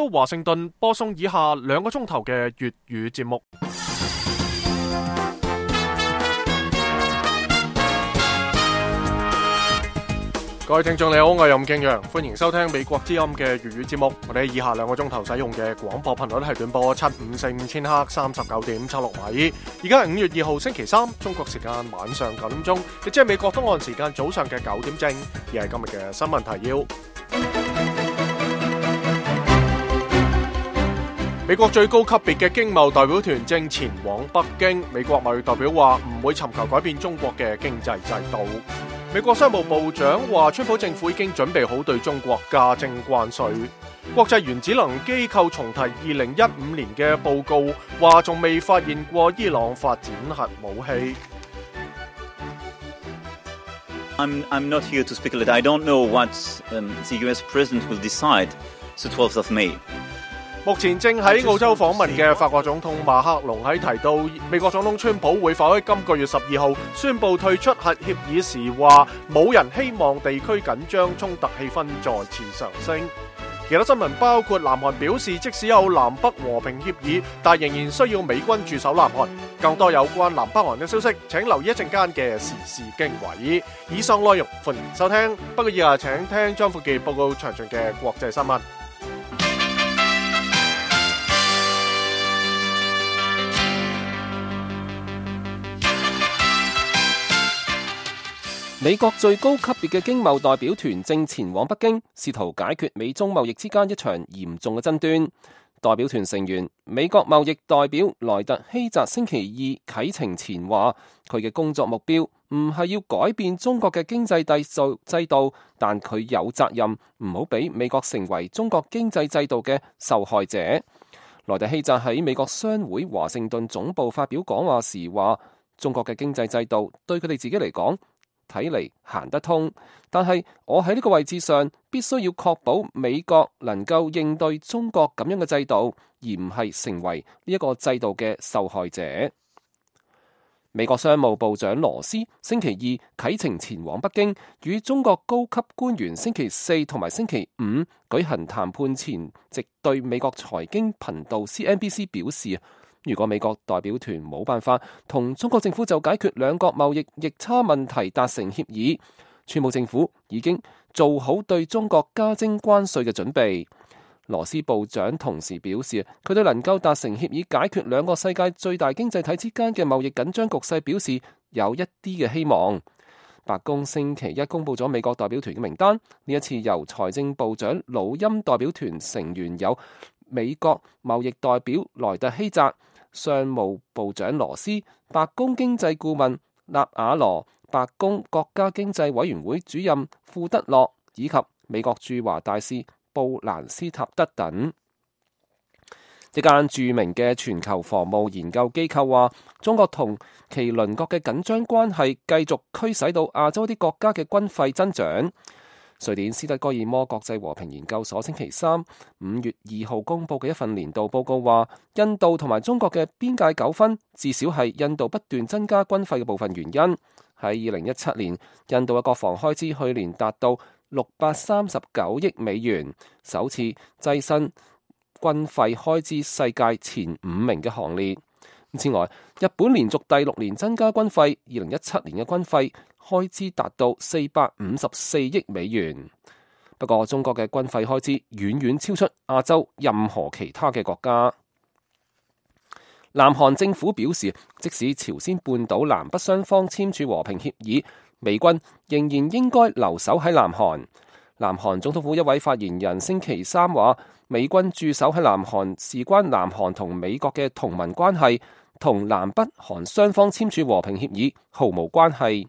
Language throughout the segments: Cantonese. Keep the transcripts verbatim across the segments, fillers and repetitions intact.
洲華盛頓播送以下兩個鐘頭嘅粵語節目。各位聽眾你好，我係任敬陽，歡迎收聽美國之音嘅粵語節目。我哋以下兩個鐘頭使用嘅廣播頻率係短波七五四五千赫三十九點七六米。而家係五月二號星期三，中國時間晚上九點鐘，亦即係美國東岸時間早上嘅九點正。而係今日嘅新聞提要。美國最高級別嘅經貿代表團正前往北京。美國貿易代表話唔會尋求改變中國嘅經濟制度。美國商務部長話，川普政府已經準備好對中國加徵關稅。國際原子能機構重提二零一五年嘅報告，話仲未發現過伊朗發展核武器。I'm, I'm not here to speculate. I don't know what um, the U S President will decide the twelfth of May. 目前正喺澳洲訪問嘅法國總統馬克龍喺提到美國總統川普會否喺今個月十二號宣布退出核協議時，話冇人希望地區緊張衝突氣氛再次上升。其他新聞包括南韓表示，即使有南北和平協議，但仍然需要美軍駐守南韓。更多有關南北韓嘅消息，請留意一陣間嘅時事經緯。以上內容歡迎收聽，不過以下請聽張富傑報告詳盡嘅國際新聞。美國最高級別嘅經貿代表團正前往北京，試圖解決美中貿易之間一場嚴重嘅爭端。代表團成員美國貿易代表萊特希澤星期二啟程前話，佢嘅工作目標唔係要改變中國嘅經濟制度，但佢有責任唔好俾美國成為中國經濟制度嘅受害者。萊特希澤喺美國商會華盛頓總部發表講話時話，中國嘅經濟制度對佢哋自己嚟講睇嚟行得通，但係我喺呢個位置上必須要確保美國能夠應對中國咁樣嘅制度，而唔係成為呢一個制度嘅受害者。美國商務部長羅斯星期二啟程前往北京，與中國高級官員星期四同埋星期五舉行談判前，直對美國財經頻道 C N B C 表示，如果美國代表團冇辦法同中國政府就解決兩國貿易逆差問題達成協議，川普政府已經做好對中國加徵關稅嘅準備。羅斯部長同時表示，佢對能夠達成協議解決兩個世界最大經濟體之間嘅貿易緊張局勢表示有一啲嘅希望。白宮星期一公布咗美國代表團嘅名單，呢一次由財政部長魯欽代表團成員有美國貿易代表萊特希澤、商務部長羅斯、白宮經濟顧問納瓦羅、白宮國家經濟委員會主任庫德洛以及美國駐華大使布蘭斯塔德等。一間著名嘅全球防務研究機構話，中國同其鄰國嘅緊張關係繼續驅使到亞洲啲國家嘅軍費增長。瑞典斯德哥爾摩國際和平研究所星期三五月二號公布嘅一份年度報告話，印度同埋中國嘅邊界糾紛至少係印度不斷增加軍費嘅部分原因。喺二零一七年，印度嘅國防開支去年達到六百三十九億美元，首次躋身軍費開支世界前五名嘅行列。此外，日本連續第六年增加軍費，二零一七年嘅軍費開支達到四百五十四億美元。不過，中國嘅軍費開支遠遠超出亞洲任何其他嘅國家。南韓政府表示，即使朝鮮半島南北雙方簽署和平協議，美軍仍然應該留守喺南韓。南韓總統府一位發言人星期三話，美軍駐守喺南韓事關南韓同美國嘅同盟關係，同南北韓雙方簽署和平協議毫無關係。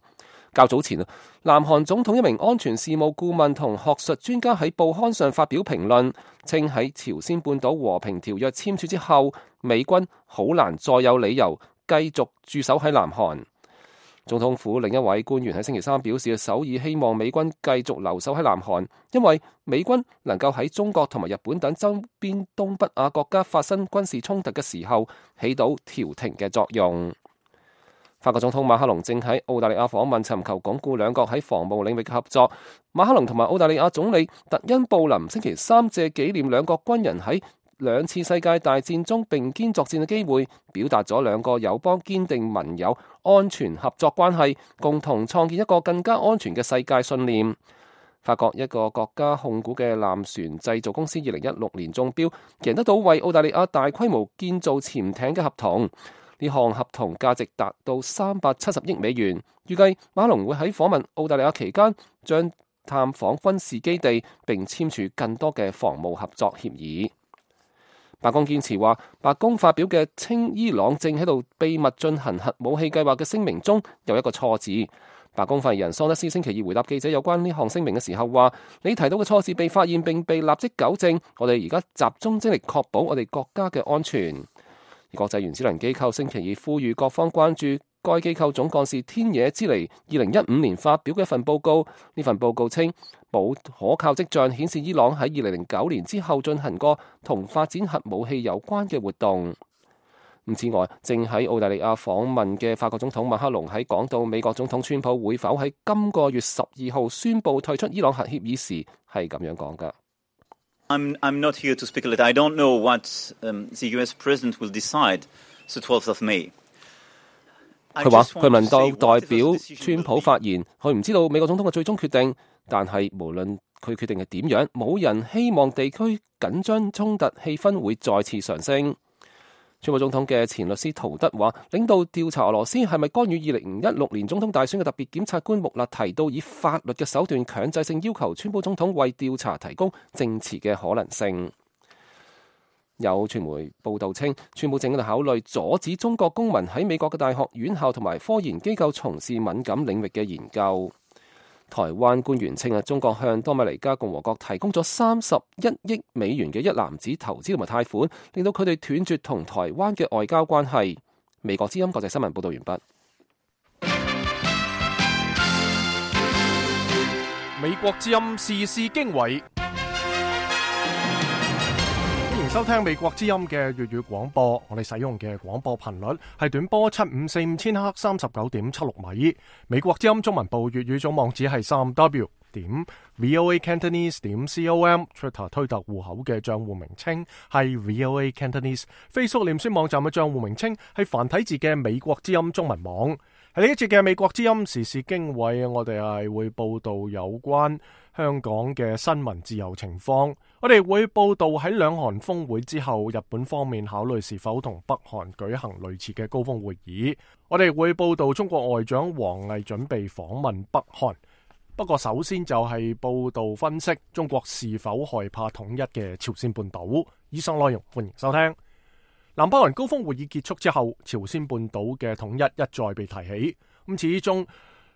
較早前，南韓總統一名安全事務顧問同學術專家喺報刊上發表評論，稱喺朝鮮半島和平條約簽署之後，美軍好難再有理由繼續駐守喺南韓。總統府另一位官員喺星期三表示，首爾希望美軍繼續留守喺南韓，因為美軍能夠喺中國同埋日本等周邊東北亞國家發生軍事衝突嘅時候，起到調停嘅作用。法國總統馬克龍正喺澳大利亞訪問，尋求鞏固兩國喺防務領域嘅合作。馬克龍同埋澳大利亞總理特恩布林星期三借紀念兩國軍人喺兩次世界大戰中並肩作戰嘅機會，表達咗兩個友邦堅定盟友安全合作關係，共同創建一個更加安全嘅世界信念。法國一個國家控股嘅艦船製造公司二零一六年中標，贏得到為澳大利亞大規模建造潛艇嘅合同。呢項合同價值達到三百七十億美元。預計馬克龍會喺訪問澳大利亞期間，將探訪軍事基地並簽署更多嘅防務合作協議。白宮堅持話，白宮發表嘅稱伊朗正喺度秘密進行核武器計劃嘅聲明中有一個錯字。白宮發言人桑德斯星期二回答記者有關呢項聲明嘅時候話：你提到嘅錯字被發現並被立即糾正，我哋而家集中精力確保我哋國家嘅安全。而國際原子能機構星期二呼籲各方關注該機構總幹事天野之尼二零一五年發表嘅一份報告。呢份報告稱，冇可靠跡象顯示伊朗喺二零零九年之後進行過同發展核武器有關嘅活動。此外，正喺澳大利亞訪問嘅法國總統馬克龍喺講到美國總統川普會否喺今個月十二號宣布退出伊朗核協議時，係咁樣講㗎。I'm I'm not here to speculate. I don't know what um, the U S president will decide the twelfth of May. 佢話佢問到代表川普發言，佢唔知道美國總統嘅最終決定，但係無論佢決定係點樣，冇人希望地區緊張衝突氣氛會再次上升。川普總統嘅前律師陶德話，領導調查俄羅斯係咪干預二零一六年總統大選嘅特別檢察官穆勒提到以法律嘅手段強制性要求川普總統為調查提供證詞嘅可能性。有傳媒報道稱，川普正喺度考慮阻止中國公民喺美國嘅大學院校同埋科研機構從事敏感領域嘅研究。台灣官員稱啊，中國向多米尼加共和國提供咗三十一億美元嘅一籃子投資同埋貸款，令到佢哋斷絕同台灣嘅外交關係。美國之音國際新聞報道完畢。美國之音時事經緯，歡迎收聽美國之音嘅粵語廣播。我哋使用嘅廣播頻率係短波七五四五千赫三十九點七六米。美國之音中文部粵語總網址係三 w 點 voa cantonese 點 com。Twitter 推特戶口嘅賬戶名稱係 voa cantonese。Facebook 臉書網站嘅賬戶名稱係繁體字嘅美國之音中文網。喺呢一節嘅美國之音時事經緯，我哋係會報道有關香港嘅新聞自由情況。我哋會報道喺兩韓峰會之後，日本方面考慮是否同北韓舉行類似嘅高峰會議。我哋會報道中國外長王毅準備訪問北韓。不過首先就係報道分析中國是否害怕統一嘅朝鮮半島。以上內容歡迎收聽。南北韓高峰會議結束之後，朝鮮半島嘅統一一再被提起。咁始終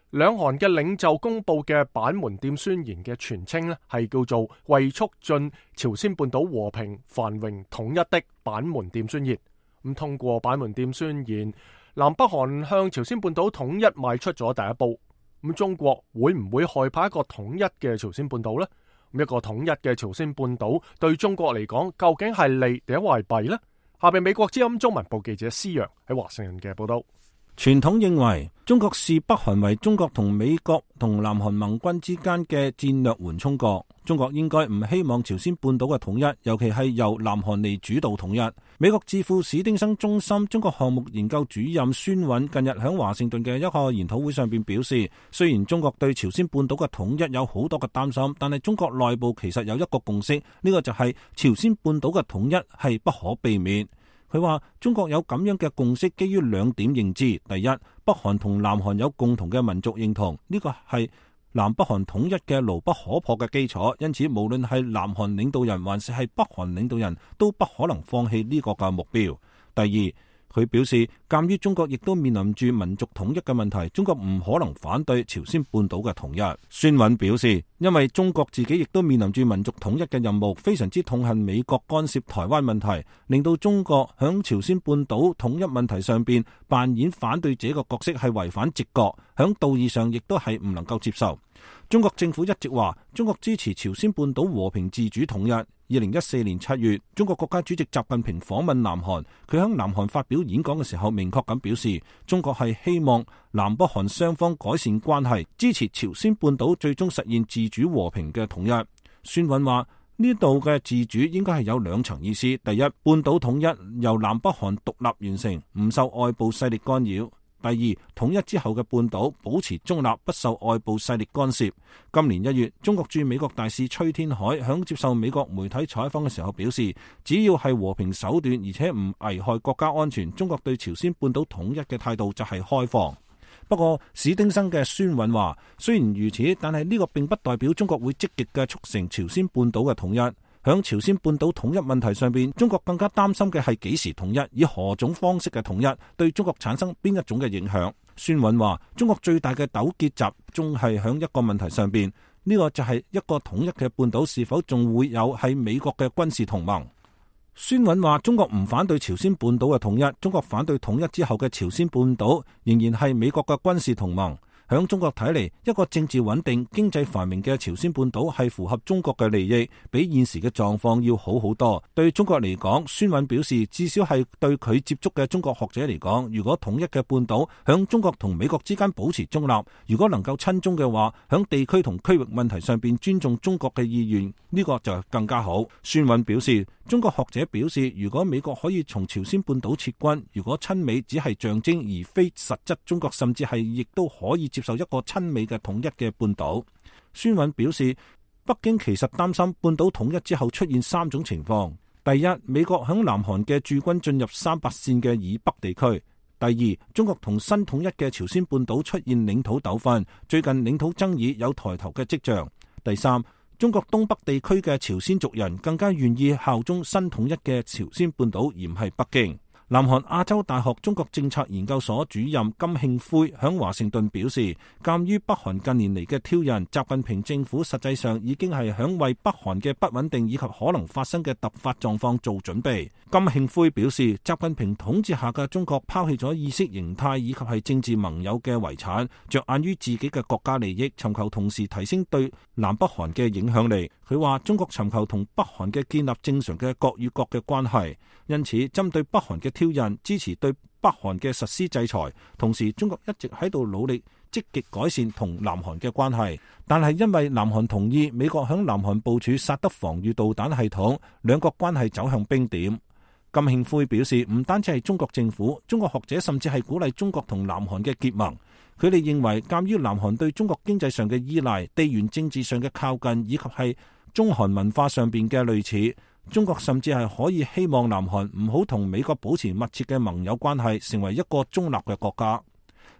兩韓嘅領袖公布嘅板門店宣言嘅全稱咧，係叫做為促進朝鮮半島和平繁榮統一的板門店宣言。咁通過板門店宣言，南北韓向朝鮮半島統一邁出咗第一步。咁中國會唔會害怕一個統一嘅朝鮮半島呢？咁一個統一嘅朝鮮半島對中國嚟講，究竟係利定係弊呢？下邊美國之音中文部記者施洋喺華盛頓嘅報道。傳統認為中國視北韓為中國同美國同南韓盟軍之間嘅戰略緩衝國。中國應該唔希望朝鮮半島嘅統一，尤其係由南韓嚟主導統一。美國智庫史丁生中心中國項目研究主任孫韻近日喺華盛頓嘅一個研討會上邊表示，雖然中國對朝鮮半島嘅統一有好多嘅擔心，但係中國內部其實有一個共識，呢個就係朝鮮半島嘅統一係不可避免。佢話中國有咁樣嘅共識，基於兩點認知：第一，北韓同南韓有共同嘅民族認同，呢個係南北韓統一嘅牢不可破嘅基礎，因此無論係南韓領導人還是係北韓領導人都不可能放棄呢個嘅目標。第二，佢表示，鑑於中國亦都面臨住民族統一嘅問題，中國唔可能反對朝鮮半島嘅統一。孫韻表示，因為中國自己亦都面臨住民族統一嘅任務，非常之痛恨美國干涉台灣問題，令到中國響朝鮮半島統一問題上邊扮演反對者嘅角色係違反直覺，響道義上亦都係唔能夠接受。中國政府一直話中國支持朝鮮半島和平自主統一。二零一四年七月，中國國家主席習近平訪問南韓，佢喺南韓發表演講嘅時候，明確咁表示，中國係希望南北韓雙方改善關係，支持朝鮮半島最終實現自主和平嘅統一。孫允話呢度嘅自主應該係有兩層意思：第一，半島統一由南北韓獨立完成，唔受外部勢力干擾。第二，統一之後嘅半島保持中立，不受外部勢力干涉。今年一月，中國駐美國大使崔天凱響接受美國媒體採訪嘅時候表示，只要係和平手段，而且唔危害國家安全，中國對朝鮮半島統一嘅態度就係開放。不過史丁生嘅孫允話，雖然如此，但係呢個並不代表中國會積極嘅促成朝鮮半島嘅統一。響朝鮮半島統一問題上邊，中國更加擔心嘅係幾時統一，以何種方式嘅統一，對中國產生邊一種嘅影響。孫允話，中國最大嘅糾結集中係響一個問題上邊，呢個就係一個統一嘅半島是否仲會有係美國嘅軍事同盟。孫允話，中國唔反對朝鮮半島嘅統一，中國反對統一之後嘅朝鮮半島仍然係美國嘅軍事同盟。響中國睇嚟，一個政治穩定、經濟繁榮嘅朝鮮半島係符合中國嘅利益，比現時嘅狀況要好好多。對中國嚟講，孫允表示，至少係對佢接觸嘅中國學者嚟講，如果統一嘅半島響中國同美國之間保持中立，如果能夠親中嘅話，響地區同區域問題上邊尊重中國嘅意願，呢個就更加好。孫允表示，中國學者表示，如果美國可以從朝鮮半島撤軍，如果親美只係象徵而非實質，中國甚至係亦都可以接受一個親美嘅統一嘅半島。孫允表示，北京其實擔心半島統一之後出現三種情況：第一，美國響南韓嘅駐軍進入三八線嘅以北地區；第二，中國同新統一嘅朝鮮半島出現領土糾紛，最近領土爭議有抬頭嘅跡象；第三，中國東北地區嘅朝鮮族人更加願意效忠新統一嘅朝鮮半島，而唔係北京。南韓亞洲大學中國政策研究所主任金慶輝響華盛頓表示，鑒於北韓近年嚟嘅挑釁，習近平政府實際上已經係響為北韓嘅不穩定以及可能發生嘅突發狀況做準備。金慶輝表示，習近平統治下嘅中國拋棄咗意識形態以及係政治盟友嘅遺產，着眼於自己嘅國家利益，尋求同時提升對南北韓嘅影響力。佢話中國尋求同北韓嘅建立正常嘅國與國嘅關係，因此針對北韓嘅挑釁，支持對北韓嘅實施制裁，同時中國一直喺度努力積極改善同南韓嘅關係，但係因為南韓同意美國響南韓部署薩德防禦導彈系統，兩國關係走向冰點。金慶輝表示，唔單止係中國政府，中國學者甚至係鼓勵中國同南韓嘅結盟。佢哋認為，鑒於南韓對中國經濟上嘅依賴、地緣政治上嘅靠近，以及係中韓文化上邊嘅類似，中國甚至係可以希望南韓唔好同美國保持密切嘅盟友關係，成為一個中立嘅國家。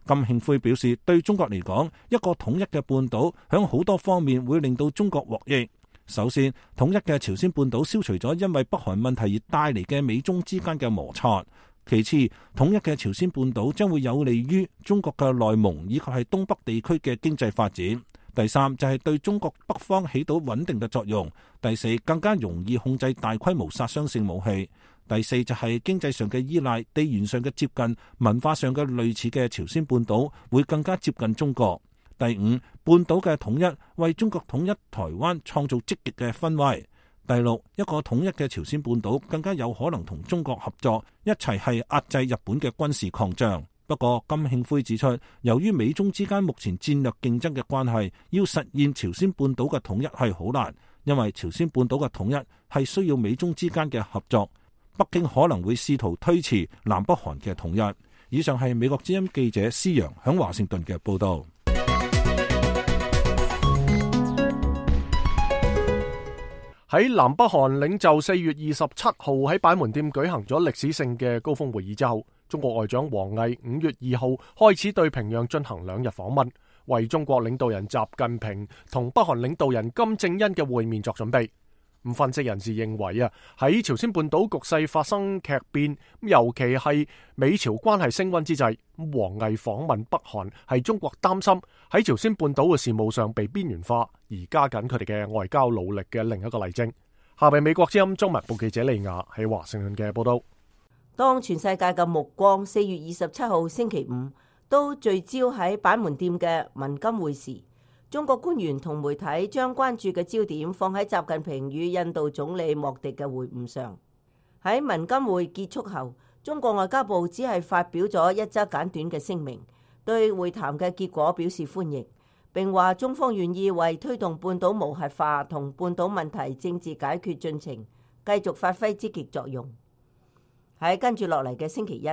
金慶輝表示，對中國嚟講，一個統一嘅半島響好多方面會令到中國獲益。首先，統一嘅朝鮮半島消除咗因為北韓問題而帶嚟嘅美中之間嘅摩擦。其次，統一嘅朝鮮半島將會有利於中國嘅內蒙以及係東北地區嘅經濟發展。第三，就係對中國北方起到穩定嘅作用。第四，更加容易控制大規模殺傷性武器。第四，就係經濟上嘅依賴、地緣上嘅接近、文化上嘅類似嘅朝鮮半島會更加接近中國。第五，半島嘅統一為中國統一台灣創造積極嘅氛圍。第六，一個統一嘅朝鮮半島更加有可能同中國合作，一齊係壓制日本嘅軍事擴張。不過金慶輝指出，由於美中之間目前戰略競爭嘅關係，要實現朝鮮半島嘅統一係好難，因為朝鮮半島嘅統一係需要美中之間嘅合作。北京可能會試圖推遲南北韓嘅統一。以上係美國之音記者施洋響華盛頓嘅報道。喺南北韓領袖四月二十七號喺板門店舉行咗歷史性嘅高峰會議之後，中國外長王毅五月二號開始對平壤進行兩日訪問，為中國領導人習近平同北韓領導人金正恩嘅會面作準備。咁分析人士認為啊，喺朝鮮半島局勢發生劇變，尤其係美朝關係升溫之際，王毅訪問北韓係中國擔心喺朝鮮半島嘅事務上被邊緣化，而加緊佢哋嘅外交努力嘅另一個例證。下邊美國之音中文部記者利亞喺華盛頓嘅報道。當全世界嘅目光四月二十七號星期五都聚焦喺板門店嘅文金會時，中國官員同媒體將關注嘅焦點放喺習近平與印度總理莫迪嘅會晤上。喺文金會結束後，中國外交部只係發表咗一則簡短嘅聲明，對會談嘅結果表示歡迎，並話中方願意為推動半島無核化同半島問題政治解決進程繼續發揮積極作用。喺跟住落嚟嘅星期一，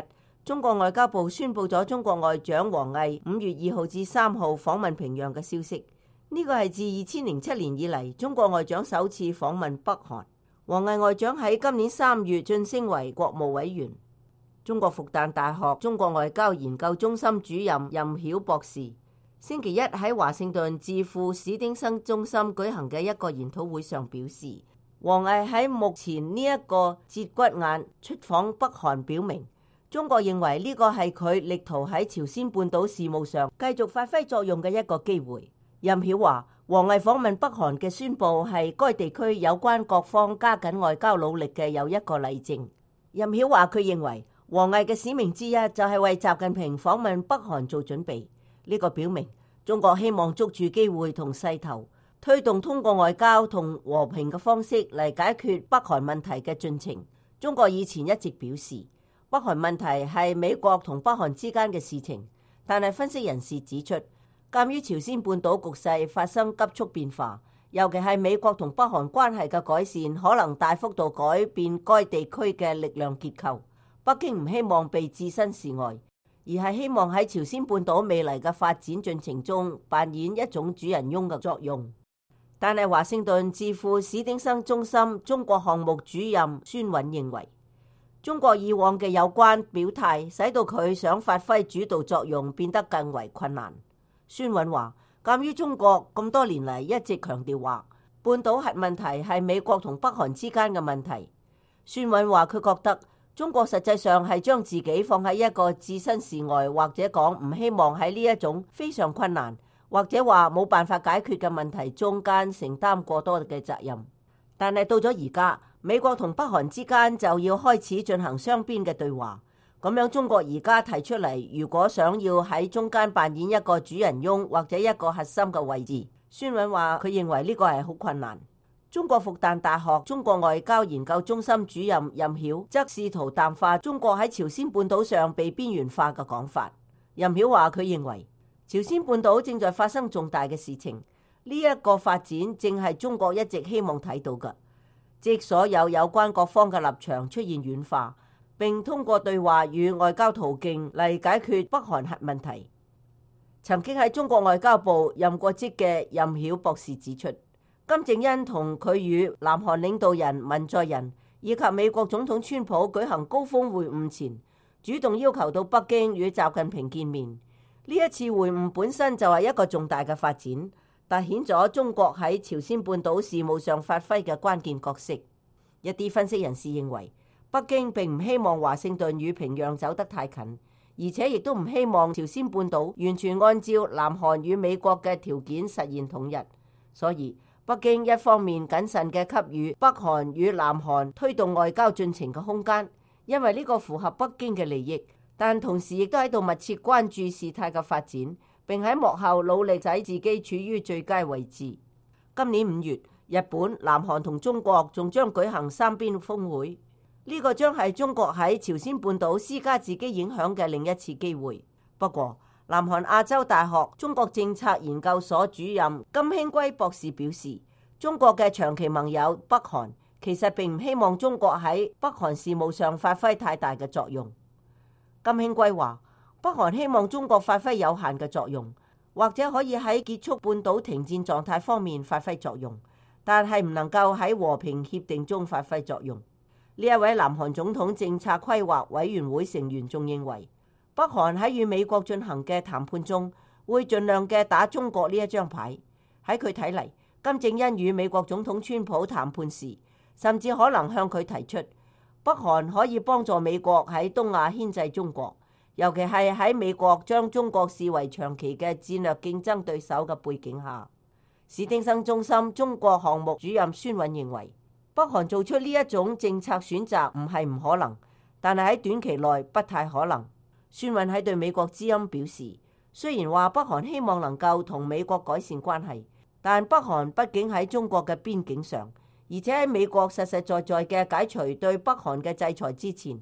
中國外交部宣布咗中國外長王毅五月二號至三號訪問平壤嘅消息。呢個係自二千零七年以嚟中國外長首次訪問北韓。王毅外長喺今年三月晉升為國務委員。中國復旦大學中國外交研究中心主任任曉博士星期一喺華盛頓智庫史丁生中心舉行嘅一個研討會上表示，王毅喺目前呢一個節骨眼出訪北韓，表明中國認為呢個係佢力圖喺朝鮮半島事務上繼續發揮作用嘅一個機會。任曉話，王毅訪問北韓嘅宣佈係該地區有關各方加緊外交努力嘅又一個例證。任曉話，佢認為王毅嘅使命之一就係為習近平訪問北韓做準備。呢個表明中國希望捉住機會同勢頭，推動通過外交同和平嘅方式嚟解決北韓問題嘅進程。中國以前一直表示，北韓問題係美國同北韓之間嘅事情，但係分析人士指出，鑑於朝鮮半島局勢發生急速變化，尤其係美國同北韓關係嘅改善，可能大幅度改變該地區嘅力量結構。北京唔希望被置身事外，而係希望喺朝鮮半島未來嘅發展進程中扮演一種主人翁嘅作用。但係華盛頓智庫史丁生中心中國項目主任孫允認為，中國以往嘅有關表態使到佢想發揮主導作用變得更為困難。孫允話，鑑於中國咁多年嚟一直強調話半島核問題係美國同北韓之間嘅問題，孫允話佢覺得中國實際上係將自己放喺一個置身事外，或者講唔希望喺呢一種非常困難或者話冇辦法解決嘅問題中間承擔過多嘅責任。但係到咗而家，美國同北韓之間就要開始進行雙邊嘅對話。咁樣中國而家提出嚟，如果想要喺中間扮演一個主人翁或者一個核心嘅位置，孫允話佢認為呢個係好困難。中國復旦大學中國外交研究中心主任任曉則試圖淡化中國喺朝鮮半島上被邊緣化嘅講法。任曉話佢認為朝鮮半島正在發生重大嘅事情，呢一個發展正係中國一直希望睇到嘅，即所有有關各方嘅立場出現軟化，並通過對話與外交途徑嚟解決北韓核問題。曾經喺中國外交部任過職嘅任曉博士指出，金正恩同佢與南韓領導人文在寅以及美國總統川普舉行高峰會晤前，主動要求到北京與習近平見面。呢一次會晤本身就係一個重大嘅發展，凸顯咗中國喺朝鮮半島事務上發揮嘅關鍵角色。一啲分析人士認為，北京並唔希望華盛頓與平壤走得太近，而且亦都唔希望朝鮮半島完全按照南韓與美國嘅條件實現統一。所以北京一方面謹慎嘅給予北韓與南韓推動外交進程嘅空間，因為呢個符合北京嘅利益，但同時亦都喺度密切關注事態嘅發展，並喺幕後努力使自己處於最佳位置。今年五月，日本、南韓同中國仲將舉行三邊峰會。呢個將係中國喺朝鮮半島施加自己影響嘅另一次機會。不過，南韓亞洲大學中國政策研究所主任金興圭博士表示，中國嘅長期盟友北韓其實並唔希望中國喺北韓事務上發揮太大嘅作用。金興圭話，北韓希望中國發揮有限嘅作用，或者可以喺結束半島停戰狀態方面發揮作用，但係唔能夠喺和平協定中發揮作用。呢一位南韓總統政策規劃委員會成員仲認為，北韓喺與美國進行嘅談判中，會盡量嘅打中國呢一張牌。喺佢睇嚟，金正恩與美國總統川普談判時，甚至可能向佢提出，北韓可以幫助美國喺東亞牽制中國，尤其係喺美國將中國視為長期嘅戰略競爭對手嘅背景下。史丁生中心中國項目主任孫允認為，北韓做出呢一種政策選擇唔係唔可能，但係喺短期內不太可能。孫允喺對美國之音表示，雖然話北韓希望能夠同美國改善關係，但北韓畢竟喺中國嘅邊境上，而且喺美國實實在在嘅解除對北韓嘅制裁之前，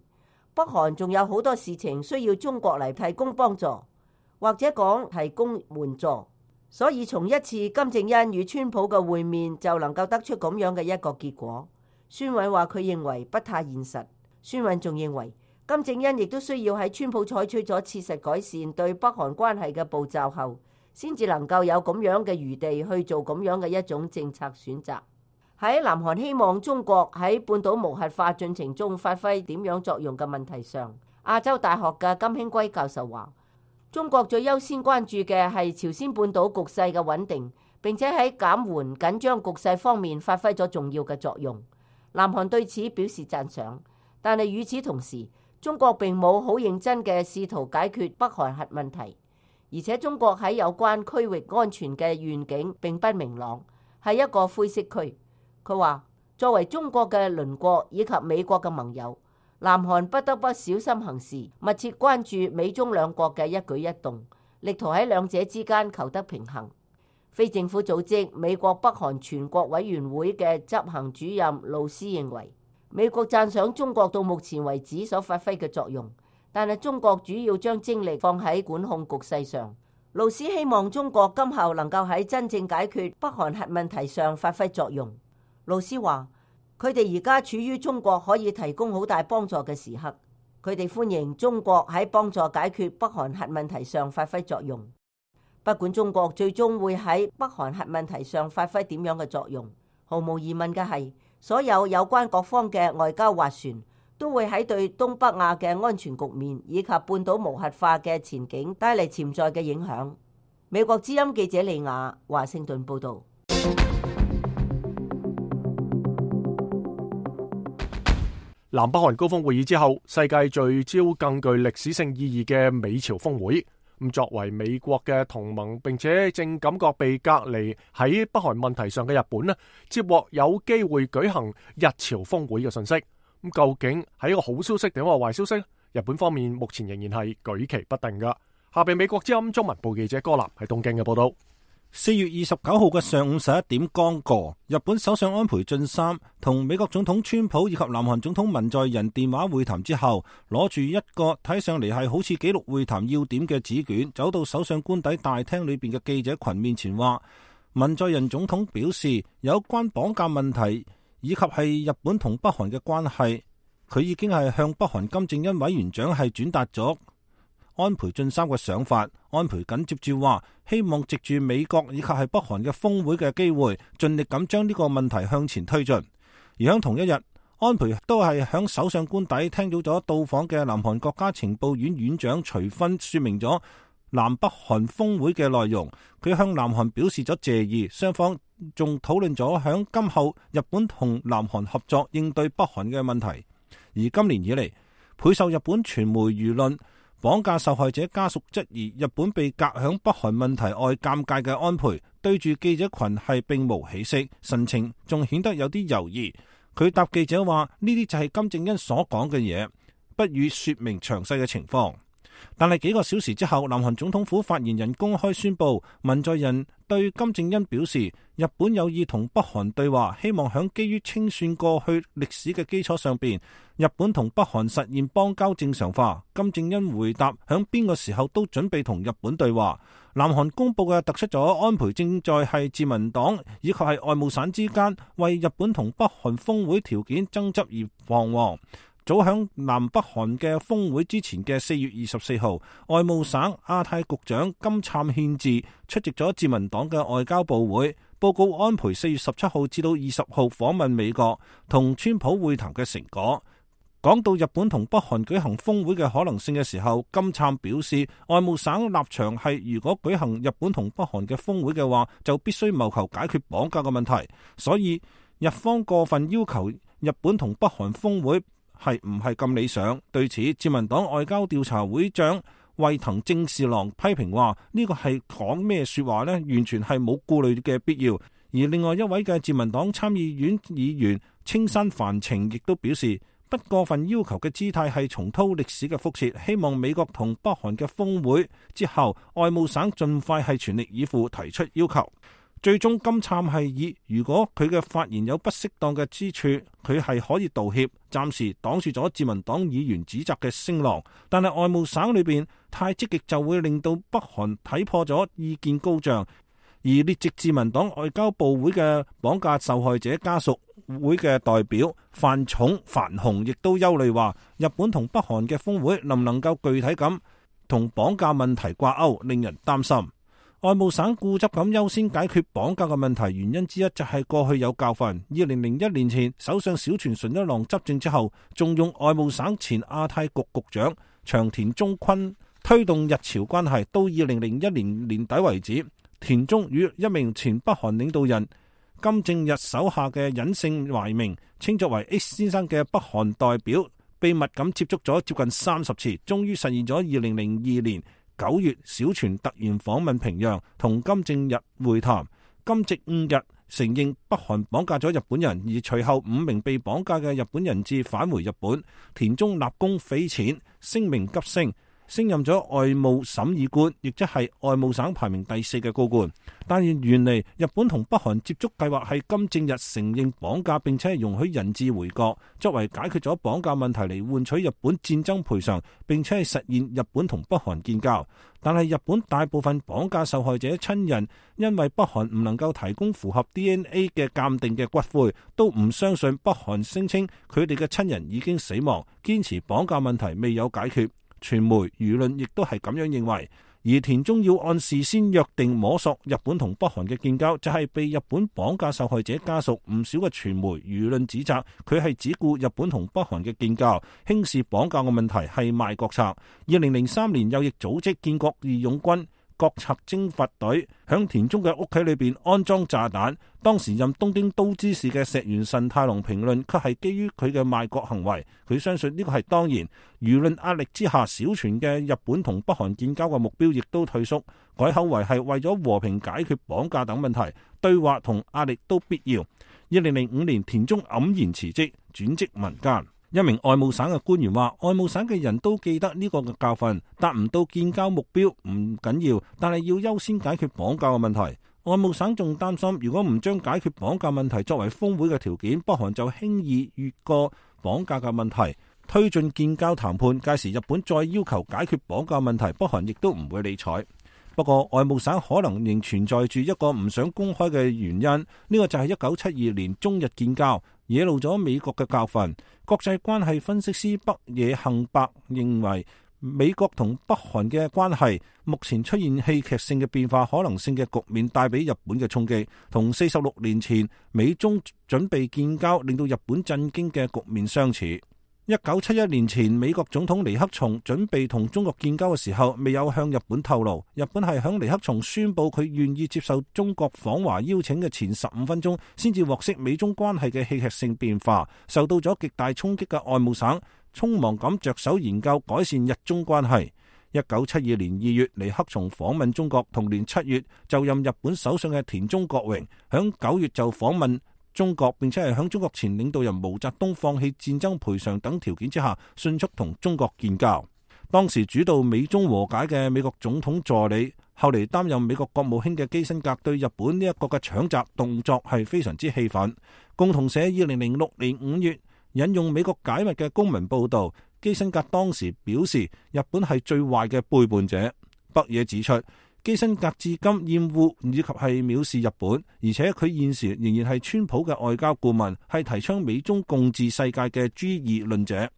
北韓仲有好多事情需要中國嚟提供幫助，或者講提供援助。所以從一次金正恩與川普嘅會面就能夠得出咁樣嘅一個結果。孫偉話佢認為不太現實。孫偉仲認為金正恩亦都需要喺川普採取咗切實改善對北韓關係嘅步驟後，先至能夠有咁樣嘅餘地去做咁樣嘅一種政策選擇。喺南韓希望中國喺半島無核化進程中發揮點樣作用嘅問題上，亞洲大學嘅金興圭教授話，中國最優先關注嘅係朝鮮半島局勢嘅穩定，並且喺減緩緊張局勢方面發揮咗重要嘅作用。南韓對此表示讚賞，但係與此同時，中國並冇好認真嘅試圖解決北韓核問題，而且中國喺有關區域安全嘅願景並不明朗，係一個灰色區。佢話作為中國嘅鄰國以及美國嘅盟友，南韓不得不小心行事，密切關注美中兩國嘅一舉一動，力圖喺兩者之間求得平衡。非政府組織美國北韓全國委員會嘅執行主任盧斯認為，美國讚賞中國到目前為止所發揮嘅作用，但係中國主要將精力放喺管控局勢上。盧斯希望中國今後能夠喺真正解決北韓核問題上發揮作用。盧斯話，佢哋而家處於中國可以提供好大幫助嘅時刻，佢哋歡迎中國喺幫助解決北韓核問題上發揮作用。不管中國最終會喺北韓核問題上發揮點樣嘅作用，毫無疑問嘅係，所有有關各方嘅外交斡旋都會喺對東北亞嘅安全局面以及半島無核化嘅前景帶嚟潛在嘅影響。美國之音記者李雅華盛頓報導。南北韓高峰會議之後，世界聚焦更具歷史性意義嘅美朝峰會。咁作為美國嘅同盟，並且正感覺被隔離喺北韓問題上嘅日本呢，接獲有機會舉行日朝峰會嘅信息。咁究竟係一個好消息定係壞消息？日本方面目前仍然係舉棋不定噶。下邊美國之音中文部記者柯南喺東京嘅報道。四月二十九號嘅上午十一點剛過，日本首相安倍晉三同美國總統川普以及南韓總統文在寅電話會談之後，攞住一個睇上嚟係好似記錄會談要點嘅紙卷，走到首相官邸大廳裏邊嘅記者群面前話，文在寅總統表示有關綁架問題以及係日本同北韓嘅關係，佢已經係向北韓金正恩委員長係轉達咗安倍晉三嘅想法。安倍緊接住話，希望藉住美國以及係北韓嘅峰會嘅機會，盡力咁將呢個問題向前推進。而喺同一日，安倍都係響首相官邸聽到咗到訪嘅南韓國家情報院院長徐薰說明咗南北韓峰會嘅內容。佢向南韓表示咗謝意，雙方仲討論咗響今後日本同南韓合作應對北韓嘅問題。而今年以嚟，倍受日本傳媒輿論綁架受害者家屬質疑日本被隔響北韓問題外尷尬嘅安倍，對住記者群係並無起色，神情仲顯得有啲猶豫。佢答記者話：呢啲就係金正恩所講嘅嘢，不予說明詳細嘅情況。但係幾個小時之後，南韓總統府發言人公開宣布，文在寅對金正恩表示，日本有意同北韓對話，希望響基於清算過去歷史嘅基礎上邊，日本同北韓實現邦交正常化。金正恩回答，響邊個時候都準備同日本對話。南韓公布嘅突出咗安倍正在係自民黨以及係外務省之間為日本同北韓峰會條件爭執而彷徨。早響南北韓嘅峰會之前嘅四月二十四號，外務省亞太局長金燦憲治出席咗自民黨嘅外交部會，報告安倍四月十七號至到二十號訪問美國同川普會談嘅成果。講到日本同北韓舉行峰會嘅可能性嘅時候，金燦表示，外務省立場係如果舉行日本同北韓嘅峰會嘅話，就必須謀求解決綁架嘅問題。所以日方過分要求日本同北韓峰會係唔係咁理想？對此，自民黨外交調查會長衛藤正士郎批評話：呢個係講咩說話呢？完全係冇顧慮嘅必要。而另外一位嘅自民黨參議院議員青山繁晴亦都表示，不過分要求嘅姿態係重蹈歷史嘅覆轍，希望美國同北韓嘅峰會之後，外務省盡快係全力以赴提出要求。最終金杉係以如果佢嘅發言有不適當嘅之處，佢係可以道歉，暫時擋住咗自民黨議員指責嘅聲浪。但係外務省裏邊太積極就會令到北韓睇破咗意見高漲。而列席自民黨外交部會嘅綁架受害者家屬會嘅代表范重范雄亦都憂慮話，日本同北韓嘅峰會能唔能夠具體咁同綁架問題掛鈎，令人擔心。外務省固執咁優先解決綁架嘅問題，原因之一就係過去有教訓。二零零一年前，首相小泉純一郎執政之後，仲用外務省前亞太局局長長田忠坤推動日朝關係，到二零零一年年底為止，田中與一名前北韓領導人金正日手下嘅隱姓埋名，稱作為 X 先生嘅北韓代表，秘密咁接觸咗接近三十次，終於實現咗二零零二年九月小泉突然訪問平壤，同金正日會談。金正日承認北韓綁架咗日本人，而隨後五名被綁架嘅日本人質返回日本。田中立功匪淺，聲名急升，升任咗外務審議官，亦即係外務省排名第四嘅高官。但係原嚟日本同北韓接觸計劃係金正日承認綁架，並且係容許人質回國，作為解決咗綁架問題嚟換取日本戰爭賠償，並且係實現日本同北韓建交。但係日本大部分綁架受害者親人因為北韓唔能夠提供符合 D N A 嘅鑑定嘅骨灰，都唔相信北韓聲稱佢哋嘅親人已經死亡，堅持綁架問題未有解決。傳媒輿論亦都係咁樣認為。而田中要按事先約定摸索日本同北韓嘅建交，就係、是、被日本綁架受害者家屬唔少嘅傳媒輿論指責佢係只顧日本同北韓嘅建交，輕視綁架嘅問題係賣國策。二零零三年右翼組織建國義勇軍國策征伐隊響田中嘅屋企裏邊安裝炸彈，當時任東京都知事嘅石原慎太郎評論卻係基於佢嘅賣國行為，佢相信呢個係當然。輿論壓力之下，小泉嘅日本同北韓建交嘅目標亦都退縮，改口為係為咗和平解決綁架等問題，對話同壓力都必要。二零零五年田中黯然辭職，轉職民間。一名外務省嘅官員話，外務省嘅人都記得呢個嘅教訓，達唔到建交目標唔緊要，但係要優先解決綁架嘅問題。外務省仲擔心，如果唔將解決綁架問題作為峰會嘅條件，北韓就輕易越過綁架嘅問題，推進建交談判。屆時日本再要求解決綁架問題，北韓亦都唔會理睬。不過外務省可能仍存在住一個唔想公開嘅原因，呢、這個就係一九七二年中日建交，惹怒咗美國嘅教訓。國際關係分析師北野幸伯認為，美國同北韓嘅關係目前出現戲劇性嘅變化可能性嘅局面，帶俾日本嘅衝擊，同四十六年前美中準備建交令到日本震驚嘅局面相似。一九七一年前，美國總統尼克松準備同中國建交嘅時候，未有向日本透露。日本係響尼克松宣布佢願意接受中國訪華邀請嘅前十五分鐘，先至獲悉美中關係嘅戲劇性變化。受到咗極大衝擊嘅外務省，匆忙咁着手研究改善日中關係。一九七二年二月，尼克松訪問中國，同年七月就任日本首相嘅田中角榮，響九月就訪問中國，並且係響中國前領導人毛澤東放棄戰爭賠償等條件之下，迅速同中國建交。當時主導美中和解嘅美國總統助理，後嚟擔任美國國務卿嘅基辛格，對日本呢一個嘅搶閘動作係非常之氣憤。共同社二零零六年五月引用美國解密嘅公民報道，基辛格當時表示日本係最壞嘅背叛者。北野指出，基辛格至今厭惡以及係藐視日本，而且佢現時仍然係川普嘅外交顧問，係提倡美中共治世界嘅 G 二論者。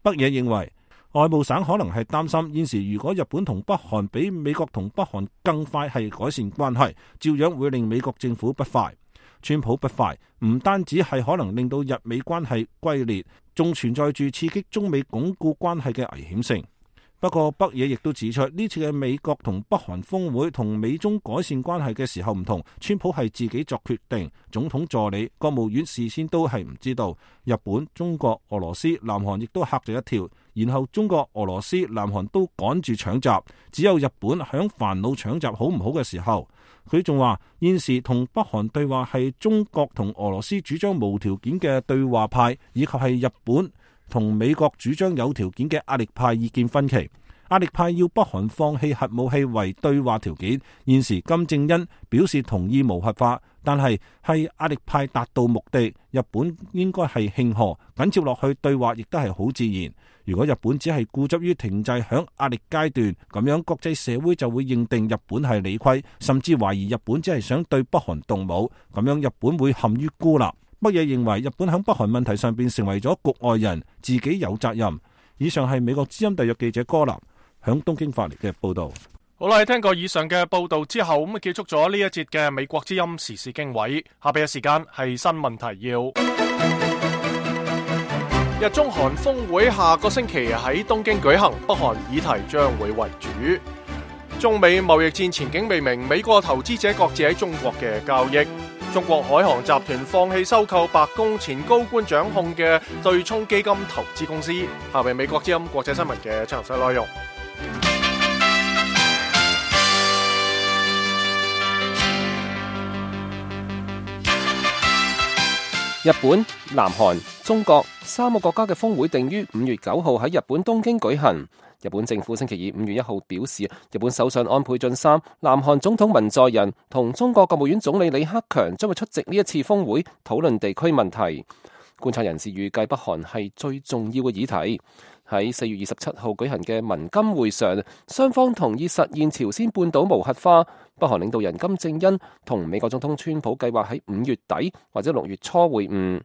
北野認為，外務省可能係擔心現時如果日本同北韓比美國同北韓更快係改善關係，照樣會令美國政府不快。川普不快唔單止係可能令到日美關係龜裂，仲存在住刺激中美鞏固關係嘅危險性。不過北野亦都指出，呢次嘅美國同北韓峰會同美中改善關係嘅時候唔同，川普係自己作決定，總統助理、國務院事先都係唔知道。日本、中國、俄羅斯、南韓亦都嚇咗一跳，然後中國、俄羅斯、南韓都趕住搶閘，只有日本響煩惱搶閘好唔好嘅時候。佢仲話現時同北韓對話係中國同俄羅斯主張無條件嘅對話派，以及係日本同美國主張有條件嘅壓力派意見分歧。壓力派要北韓放棄核武器為對話條件，現時金正恩表示同意無核化，但係係壓力派達到目的，日本應該係慶賀，緊接落去對話亦都係好自然。如果日本只係固執於停滯響壓力階段，咁樣國際社會就會認定日本係理虧，甚至懷疑日本只係想對北韓動武，咁樣日本會陷於孤立。北野認為日本響北韓問題上邊成為咗局外人，自己有責任。以上係美國之音特約記者柯立響東京發嚟嘅報道。好啦，聽過以上嘅報道之後，咁啊結束咗呢一節嘅美國之音時事經緯。下邊嘅時間係新聞提要。日中韓峰會下個星期喺東京舉行，北韓議題將會為主。中美貿易戰前景未明，美國投資者擱置喺中國嘅交易。中國海航集團放棄收購白宮前高官掌控嘅對沖基金投資公司。下邊美國之音國際新聞嘅詳細內容。日本、南韓、中國三個國家嘅峰會定於五月九號喺日本東京舉行。日本政府星期二五月一號表示，日本首相安倍晉三、南韓總統文在寅同中國國務院總理李克強將會出席呢一次峰會，討論地區問題。觀察人士預計北韓係最重要嘅議題。喺四月二十七號舉行嘅文金會上，雙方同意實現朝鮮半島無核化。北韓領導人金正恩同美國總統川普計劃喺五月底或者六月初會晤。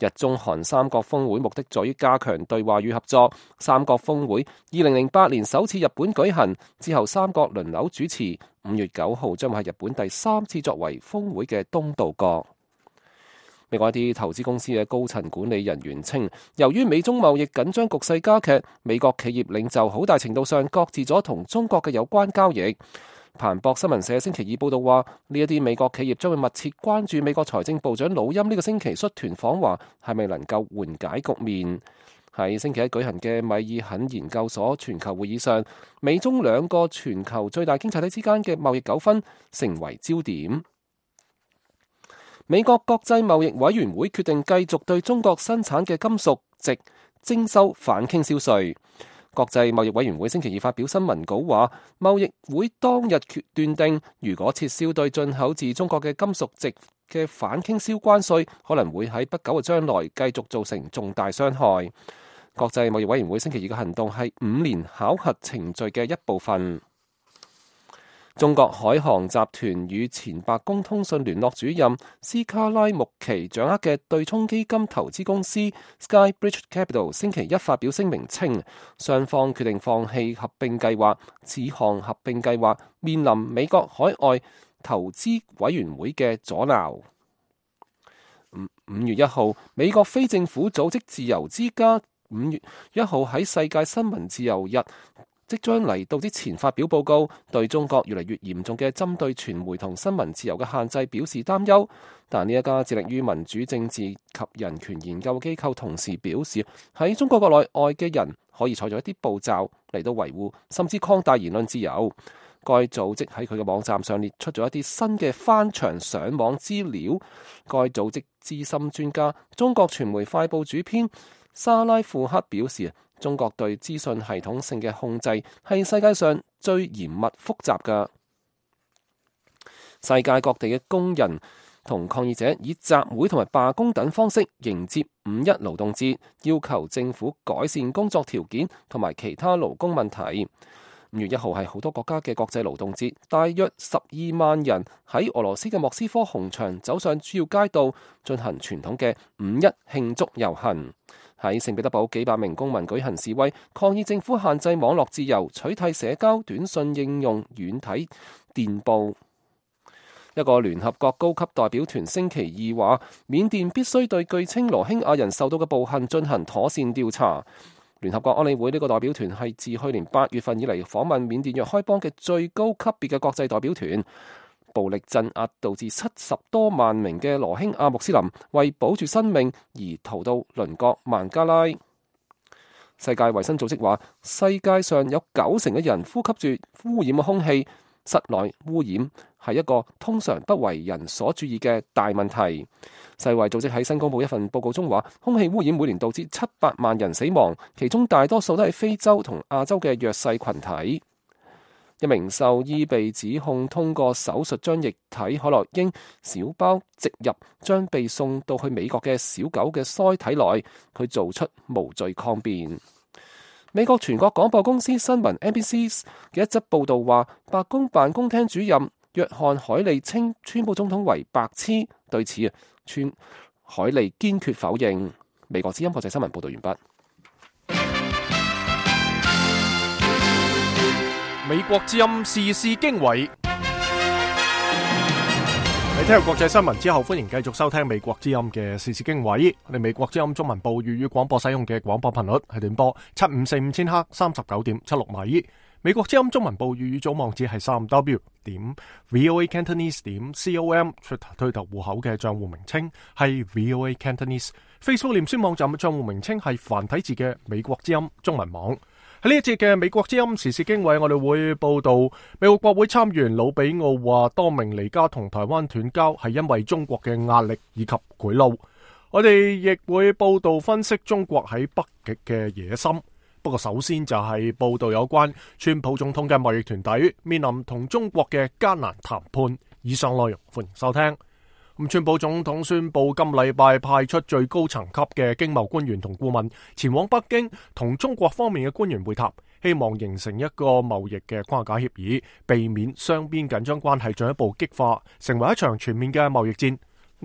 日中韓三國峰會目的在於加強對話與合作。三國峰會二零零八年首次日本舉行，之後三國輪流主持。五月九號將會係日本第三次作為峰會嘅東道國。美國一啲投資公司嘅高層管理人員稱，由於美中貿易緊張局勢加劇，美國企業領袖好大程度上擱置咗同中國嘅有關交易。彭博新聞社星期二報道話，呢一啲美國企業將會密切關注美國財政部長魯欽呢個星期率團訪華係咪能夠緩解局面。喺星期一舉行嘅米爾肯研究所全球會議上，美中兩個全球最大經濟體之間嘅貿易糾紛成為焦點。美國國際貿易委員會決定繼續對中國生產嘅金屬值徵收反傾銷稅。國際貿易委員會星期二發表新聞稿話，貿易會當日決斷定，如果撤銷對進口自中國嘅金屬值嘅反傾銷關稅，可能會喺不久嘅將來繼續造成重大傷害。國際貿易委員會星期二嘅行動係五年考核程序嘅一部分。中國海航集團與前白宮通訊聯絡主任斯卡拉穆奇掌握嘅對沖基金投資公司 Skybridge Capital 星期一發表聲明稱，雙方決定放棄合併計劃，此項合併計劃面臨美國海外投資委員會嘅阻撓。五月一號，美國非政府組織自由之家五月一號喺世界新聞自由日即將嚟到之前發表報告，對中國越嚟越嚴重嘅針對傳媒同新聞自由嘅限制表示擔憂。但呢一家致力於民主政治及人權研究機構同時表示，喺中國國內外嘅人可以採取一啲步驟嚟到維護甚至擴大言論自由。該組織喺佢嘅網站上列出咗一啲新嘅翻牆上網資料。該組織資深專家、中國傳媒快報主編沙拉庫克表示，中國對資訊系統性嘅控制係世界上最嚴密複雜嘅。世界各地嘅工人同抗議者以集會同埋罷工等方式迎接五一勞動節，要求政府改善工作條件同埋其他勞工問題。五月一號係好多國家嘅國際勞動節，大約十二萬人喺俄羅斯嘅莫斯科紅場走上主要街道，進行傳統嘅五一慶祝遊行。喺聖彼得堡，幾百名公民舉行示威，抗議政府限制網絡自由，取締社交短信應用軟體電報。一個聯合國高級代表團星期二話，緬甸必須對據稱羅興亞人受到嘅暴行進行妥善調查。聯合國安理會呢個代表團係自去年八月份以嚟訪問緬甸若開邦嘅最高級別嘅國際代表團。暴力鎮壓導致七十多萬名嘅羅興亞穆斯林為保住生命而逃到鄰國孟加拉。世界衛生組織話，世界上有九成嘅人呼吸住污染嘅空氣，室內污染係一個通常不為人所注意嘅大問題。世衛組織喺新公佈一份報告中話，空氣污染每年導致七百萬人死亡，其中大多數都係非洲同亞洲嘅弱勢群體。一名獸醫被指控通過手術將液體可樂英小包植入將被送到去美國嘅小狗嘅腮體內，佢做出無罪抗辯。美國全國廣播公司新聞 N B C 嘅一則報道話，白宮辦公廳主任約翰海利稱川普總統為白痴，對此啊，川海利堅決否認。美國之音國際新聞報道完畢。美國之音時事經緯，你聽完國際新聞之後，歡迎繼續收聽美國之音嘅時事經緯。我哋美國之音中文部粵語廣播使用嘅廣播頻率係短波七五四五千赫三十九點七六米。美國之音中文部粵語組網址係三 w 點 voa cantonese 點 com， Twitter 推特戶口嘅賬戶名稱係 voa cantonese， Facebook 臉書網站嘅賬戶名稱係繁體字嘅美國之音中文網。喺呢一節嘅美國之音時事經緯，我哋會報道美國國會參議員魯比奧話，多明尼加同台灣斷交係因為中國嘅壓力以及賄賂。我哋亦會報道分析中國喺北極嘅野心。不過首先就係報道有關川普總統嘅貿易團隊面臨同中國嘅艱難談判。以上內容歡迎收聽。咁川普總統宣布今禮拜派出最高層級嘅經貿官員同顧問前往北京，同中國方面嘅官員會談，希望形成一個貿易嘅框架協議，避免雙邊緊張關係進一步激化，成為一場全面嘅貿易戰。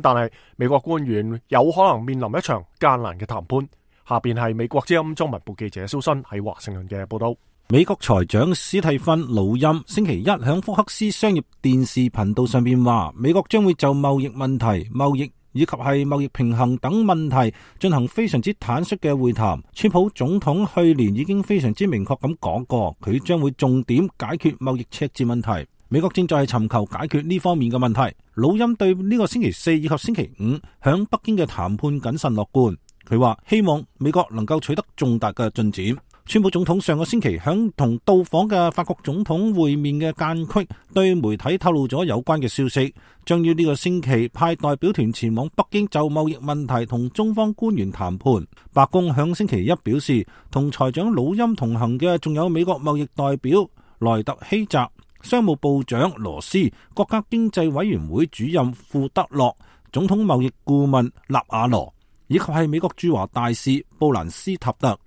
但係美國官員有可能面臨一場艱難嘅談判。下邊係美國之音中文部記者蘇新喺華盛頓嘅報道。美國財長史蒂芬魯欽星期一響福克斯商業電視頻道上邊話，美國將會就貿易問題、貿易以及係貿易平衡等問題進行非常之坦率嘅會談。川普總統去年已經非常之明確咁講過，佢將會重點解決貿易赤字問題。美國正在尋求解決呢方面嘅問題。魯欽對呢個星期四以及星期五響北京嘅談判謹慎樂觀。佢話希望美國能夠取得重大嘅進展。川普總統上個星期響同到訪嘅法國總統會面嘅間隙，對媒體透露咗有關嘅消息，將於呢個星期派代表團前往北京就貿易問題同中方官員談判。白宮響星期一表示，同財長魯欽同行嘅仲有美國貿易代表萊特希澤、商務部長羅斯、國家經濟委員會主任庫德洛、總統貿易顧問納瓦羅，以及係美國駐華大使布蘭斯塔特。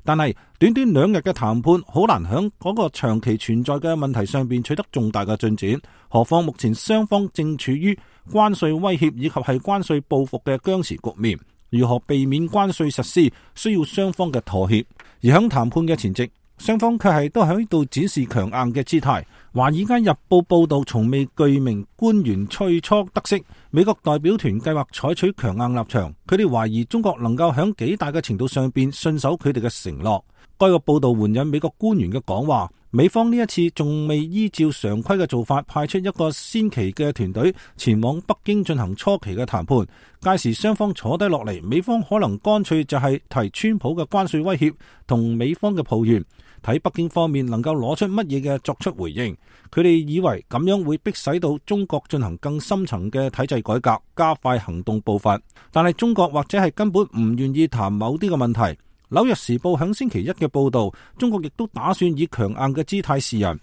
但係短短兩日嘅談判，好難響嗰個長期存在嘅問題上邊取得重大嘅進展。何況目前雙方正處於關稅威脅以及係關稅報復嘅僵持局面，如何避免關稅實施，需要雙方嘅妥協。而響談判嘅前夕，雙方卻係都喺度展示強硬嘅姿態。華爾街日報報道，從未具名官員最初得悉，美國代表團計劃採取強硬立場，佢哋懷疑中國能夠響幾大嘅程度上邊信守佢哋嘅承諾。該個報道援引美國官員嘅講話，美方呢一次仲未依照常規嘅做法派出一個先期嘅團隊前往北京進行初期嘅談判，屆時雙方坐低落嚟，美方可能乾脆就係提川普嘅關稅威脅同美方嘅抱怨，睇北京方面能夠攞出乜嘢嘅作出回應。佢哋以為咁樣會迫使到中國進行更深層嘅體制改革，加快行動步伐。但係中國或者係根本唔願意談某啲嘅問題。紐約時報響星期一嘅報道，中國亦都打算以強硬嘅姿態示人。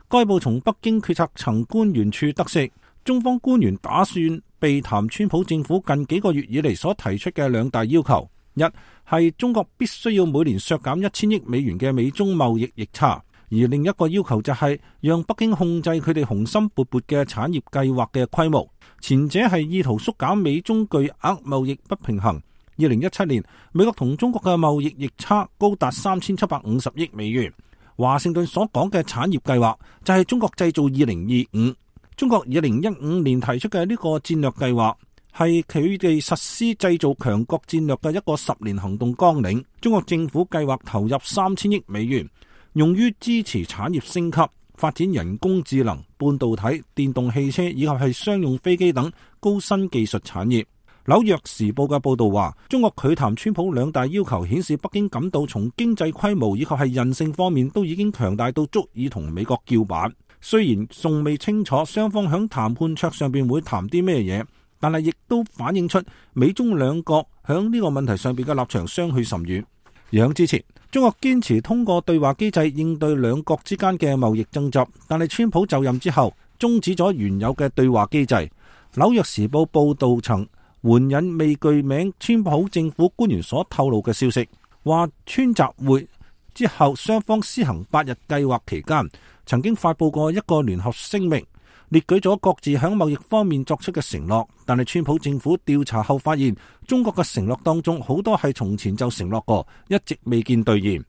該報從北京決策層官員處得悉，中方官員打算避談川普政府近幾個月以嚟所提出嘅兩大要求。一係中國必須要每年削減一千億美元嘅美中貿易逆差，而另一個要求就係讓北京控制佢哋雄心勃勃嘅產業計劃嘅規模。前者係意圖縮減美中巨額貿易不平衡。二零一七年，美國同中國嘅貿易逆差高達三千七百五十億美元。華盛頓所講嘅產業計劃就係中國製造二零二五。中國二零一五年提出嘅呢個戰略計劃，係佢哋實施製造強國戰略嘅一個十年行動綱領。中國政府計劃投入三千億美元，用於支持產業升級、發展人工智能、半導體、電動汽車以及係商用飛機等高新技術產業。紐約時報嘅報道話，中國拒談川普兩大要求，顯示北京感到從經濟規模以及係韌性方面都已經強大到足以同美國叫板。雖然仲未清楚雙方響談判桌上邊會談啲咩嘢，但係亦都反映出美中兩國響呢個問題上邊嘅立場相去甚遠。而響之前，中國堅持通過對話機制應對兩國之間嘅貿易爭執，但係川普就任之後終止咗原有嘅對話機制。紐約時報報道曾援引未具名川普政府官員所透露嘅消息，話川習會之後雙方施行八日計劃期間，曾經發布過一個聯合聲明，列舉咗各自響貿易方面作出嘅承諾，但係川普政府調查後發現，中國嘅承諾當中好多係從前就承諾過，一直未見兌現。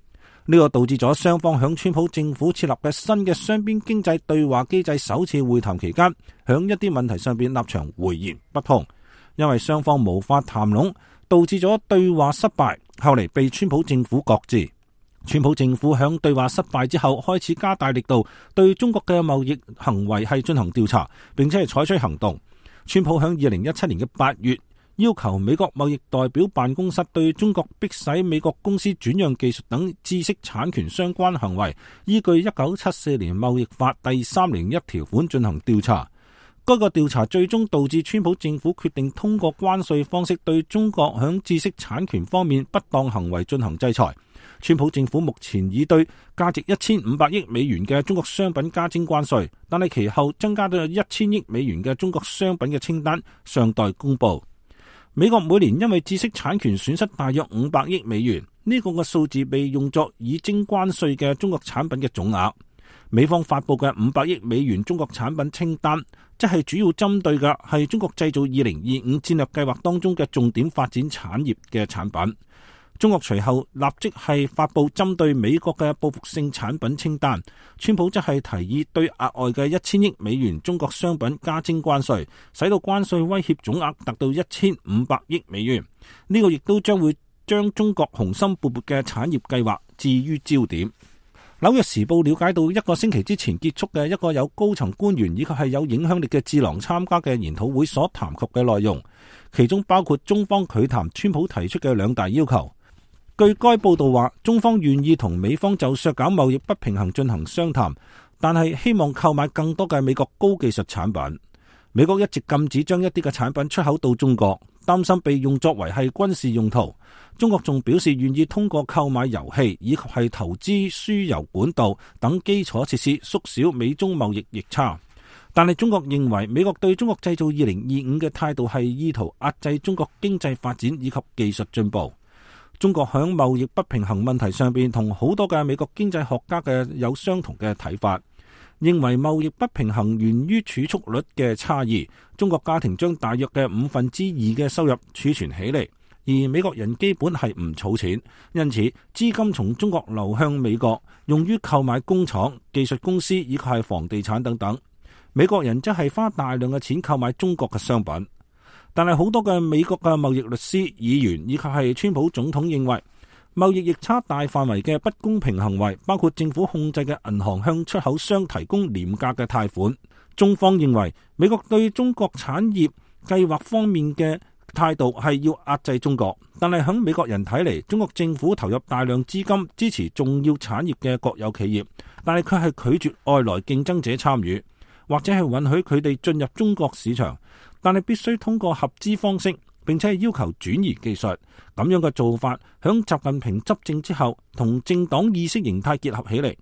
呢個導致咗雙方響川普政府設立嘅新嘅雙邊經濟對話機制首次會談期間，響一啲問題上邊立場迥然不同，因為雙方無法談攏，導致咗對話失敗，後嚟被川普政府擱置。川普政府響對話失敗之後，開始加大力度對中國嘅貿易行為係進行調查，並且係採取行動。川普響二零一七年嘅八月，要求美國貿易代表辦公室對中國迫使美國公司轉讓技術等知識產權相關行為，依據一九七四年貿易法第三零一條款進行調查。該個調查最終導致川普政府決定通過關稅方式對中國響知識產權方面不當行為進行制裁。川普政府目前已對價值一千五百億美元嘅中國商品加徵關稅，但係其後增加到一千億美元嘅中國商品嘅清單尚待公布。美國每年因為知識產權損失大約五百億美元，呢個嘅數字被用作已徵關稅嘅中國產品嘅總額。美方發佈嘅五百億美元中國產品清單，即係主要針對嘅係中國製造二零二五戰略計劃當中嘅重點發展產業嘅產品。中國隨後立即係發佈針對美國嘅報復性產品清單，川普則係提議對額外嘅一千億美元中國商品加徵關稅，使到關稅威脅總額達到一千五百億美元。呢、這個亦都將會將中國雄心勃勃嘅產業計劃置於焦點。紐約時報了解到，一個星期之前結束嘅一個有高層官員以及係有影響力嘅智囊參加嘅研討會所談及嘅內容，其中包括中方拒談川普提出嘅兩大要求。據該報道話，中方願意同美方就削減貿易不平衡進行商談，但係希望購買更多嘅美國高技術產品。美國一直禁止將一啲嘅產品出口到中國，擔心被用作為係軍事用途。中國仲表示願意通過購買油氣以及係投資輸油管道等基礎設施縮小美中貿易逆差。但係中國認為美國對中國製造二零二五嘅態度係意圖壓制中國經濟發展以及技術進步。中國響貿易不平衡問題上邊同好多嘅美國經濟學家嘅有相同嘅睇法，認為貿易不平衡源於儲蓄率嘅差異。中國家庭將大約嘅五分之二嘅收入儲存起嚟，而美國人基本係唔儲錢，因此資金從中國流向美國，用於購買工廠、技術公司以及係房地產等等。美國人則係花大量嘅錢購買中國嘅商品。但係好多嘅美國嘅貿易律師、議員以及係川普總統認為，貿易逆差大範圍嘅不公平行為，包括政府控制嘅銀行向出口商提供廉價嘅貸款。中方認為，美國對中國產業計劃方面嘅態度係要壓制中國，但係喺美國人睇嚟，中國政府投入大量資金支持重要產業嘅國有企業，但係佢係拒絕外來競爭者參與，或者係允許佢哋進入中國市場。但係必須通過合資方式，並且係要求轉移技術。咁樣嘅做法，響習近平執政之後，同政黨意識形態結合起嚟。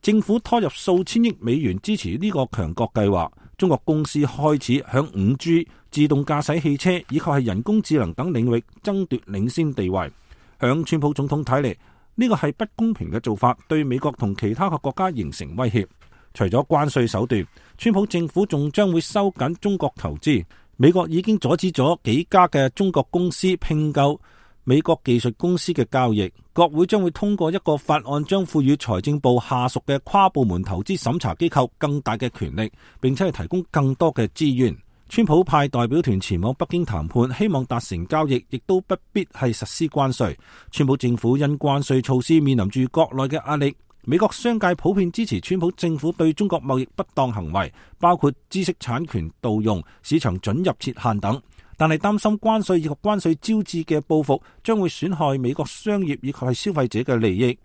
政府拖入數千億美元支持呢個強國計劃。中國公司開始響五 G、自動駕駛汽車以及係人工智能等領域爭奪領先地位。響川普總統睇嚟，呢個係不公平嘅做法，對美國同其他嘅國家形成威脅。除咗關稅手段，川普政府仲將會收緊中國投資。美國已經阻止咗幾家嘅中國公司併購美國技術公司嘅交易。國會將會通過一個法案，將賦予財政部下屬嘅跨部門投資審查機構更大嘅權力，並且係提供更多嘅資源。川普派代表團前往北京談判，希望達成交易，亦都不必係實施關稅。川普政府因關稅措施面臨住國內嘅壓力。美國商界普遍支持川普政府對中國貿易不當行為，包括知識產權盜用、市場准入設限等，但係擔心關稅以及關稅招致嘅報復將會損害美國商業以及係消費者嘅利益。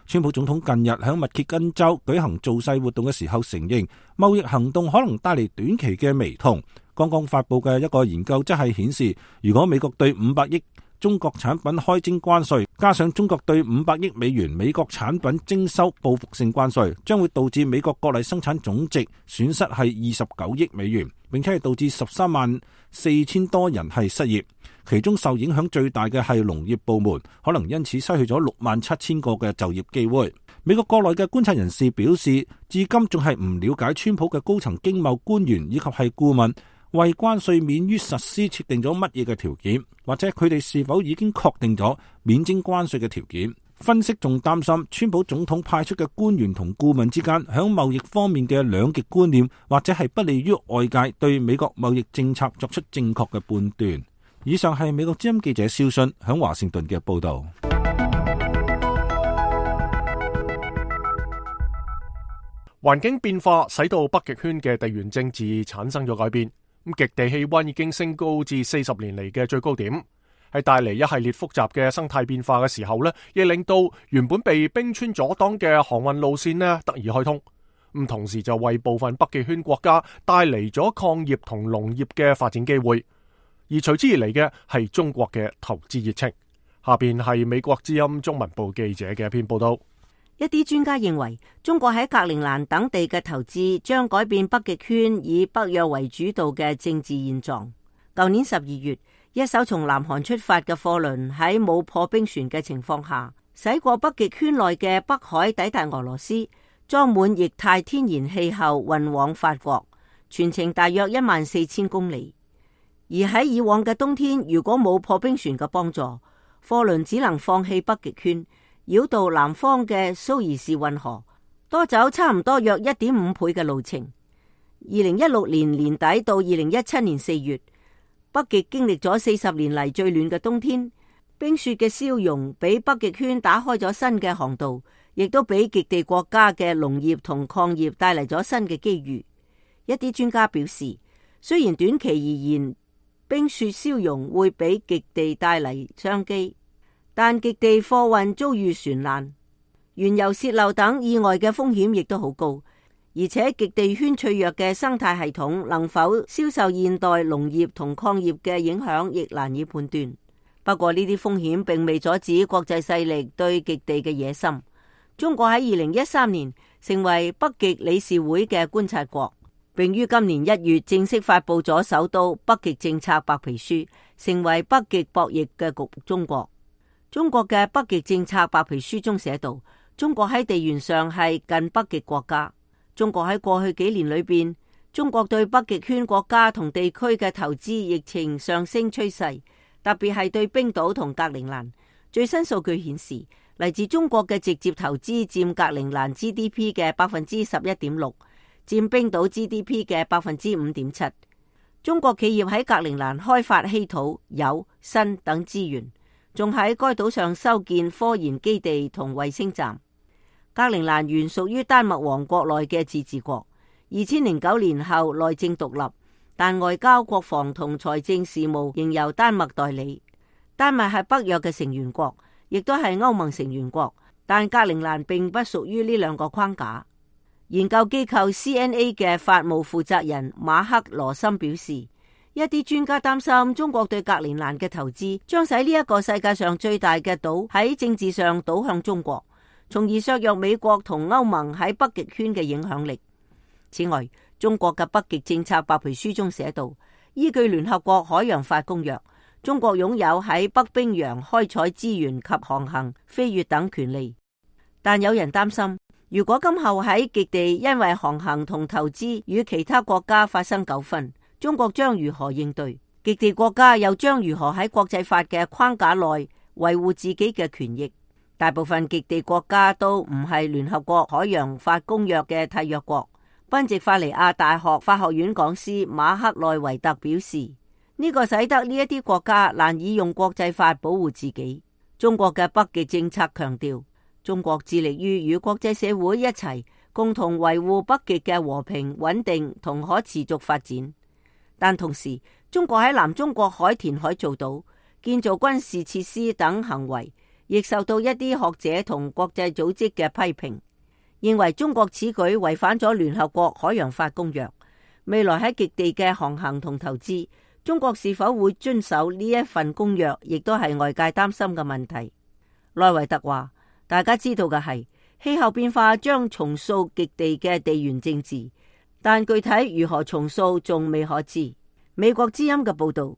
川普總統近日喺密歇根州舉行造勢活動嘅時候承認，貿易行動可能帶嚟短期嘅微痛。剛剛發佈嘅一個研究則係顯示，如果美國對五百億中國產品開徵關稅，加上中國對五百億美元美國產品徵收報復性關稅，將會導致美國國內生產總值損失係二十九億美元，並且係導致十三萬四千多人係失業。其中受影響最大嘅係農業部門，可能因此失去咗六萬七千個嘅就業機會。美國國內嘅觀察人士表示，至今仲係唔了解川普嘅高層經貿官員以及係顧問為關稅免於實施設定咗乜嘢嘅條件，或者佢哋是否已經確定咗免徵關稅嘅條件。分析仲擔心，川普總統派出嘅官員同顧問之間響貿易方面嘅兩極觀念，或者係不利於外界對美國貿易政策作出正確嘅判斷。以上係美國之音記者蕭信響華盛頓嘅報道。環境變化使到北極圈嘅地緣政治產生咗改變。咁極地氣溫已經升高至四十年嚟嘅最高點，係帶嚟一系列複雜嘅生態變化嘅時候呢，亦令到原本被冰川阻擋嘅航運路線呢得以開通。咁同時就為部分北極圈國家帶嚟咗礦業同農業嘅發展機會，而隨之而嚟嘅係中國嘅投資熱情。下邊係美國之音中文部記者嘅一篇報道。一啲專家認為，中國喺格陵蘭等地嘅投資將改變北極圈以北約為主導嘅政治現狀。舊年十二月，一艘從南韓出發嘅貨輪喺冇破冰船嘅情況下，駛過北極圈內嘅北海，抵達俄羅斯，裝滿液態天然氣後運往法國，全程大約一萬四千公里。而喺以往嘅冬天，如果冇破冰船嘅幫助，貨輪只能放棄北極圈，繞道南方嘅蘇伊士運河，多走差唔多約一點五倍嘅路程。二零一六年年底到二零一七年四月，北極經歷咗四十年嚟最暖嘅冬天，冰雪嘅消融俾北極圈打開咗新嘅航道，亦都俾極地國家嘅農業同礦業帶嚟咗新嘅機遇。一啲專家表示，雖然短期而言，冰雪消融會俾極地帶嚟商機，但極地貨運遭遇船難、原油洩漏等意外嘅風險亦都好高，而且極地圈脆弱嘅生態系統能否消受現代農業同礦業嘅影響，亦難以判斷。不過呢啲風險並未阻止國際勢力對極地嘅野心。中國喺二零一三年成為北極理事會嘅觀察國，並於今年一月正式發布咗首都北極政策白皮書，成為北極博弈嘅局中國。中國嘅北極政策白皮書中寫道，中國喺地緣上係近北極國家。中國喺過去幾年裏邊，中國對北極圈國家同地區嘅投資疫情上升趨勢，特別係對冰島同格陵蘭。最新數據顯示，嚟自中國嘅直接投資佔格陵蘭 G D P 嘅百分之十一點六，佔冰島 G D P 嘅百分之五點七。中國企業喺格陵蘭開發稀土、鈾、砷等資源，仲喺該島上修建科研基地同衛星站。格陵蘭原屬於丹麥王國內嘅自治國，二千零九年後內政獨立，但外交、國防同財政事務仍由丹麥代理。丹麥係北約嘅成員國，亦都係歐盟成員國，但格陵蘭並不屬於呢兩個框架。研究機構 C N A 嘅法務負責人馬克羅森表示，一啲專家擔心中國對格陵蘭嘅投資將使呢一個世界上最大嘅島喺政治上倒向中國，從而削弱美國同歐盟喺北極圈嘅影響力。此外，中國嘅北極政策白皮書中寫道，依據聯合國海洋法公約，中國擁有喺北冰洋開採資源及航行、飛越等權利。但有人擔心，如果今後喺極地因為航行同投資與其他國家發生糾紛，中國將如何應對？極地國家又將如何喺國際法嘅框架內維護自己嘅權益？大部分極地國家都唔係聯合國海洋法公約嘅締約國。賓夕法尼亞大學法學院講師馬克內維特表示，呢個使得呢一啲國家難以用國際法保護自己。中國嘅北極政策強調，中國致力於與國際社會一齊共同維護北極嘅和平、穩定同可持續發展。但同時，中國喺南中國海填海造島、建造軍事設施等行為，亦受到一啲學者同國際組織嘅批評，認為中國此舉違反咗聯合國海洋法公約。未來喺極地嘅航行同投資，中國是否會遵守呢一份公約，亦都係外界擔心嘅問題。內維特話，大家知道嘅係氣候變化將重塑極地嘅地緣政治，但具體如何重塑仲未可知。美國之音嘅報道。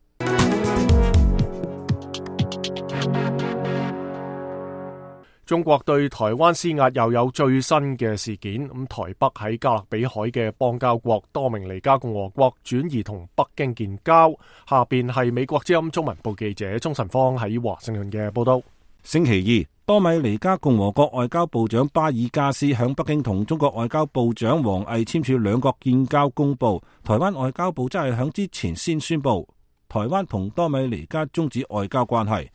中國對台灣施壓又有最新嘅事件，咁台北喺加勒比海嘅邦交國多明尼加共和國轉移同北京建交。下邊係美國之音中文部記者鍾晨芳喺華盛頓嘅報道。星期二，多米尼加共和國外交部長巴爾加斯響北京同中國外交部長王毅簽署兩國建交公報。台灣外交部則係響之前先宣布，台灣同多米尼加終止外交關係。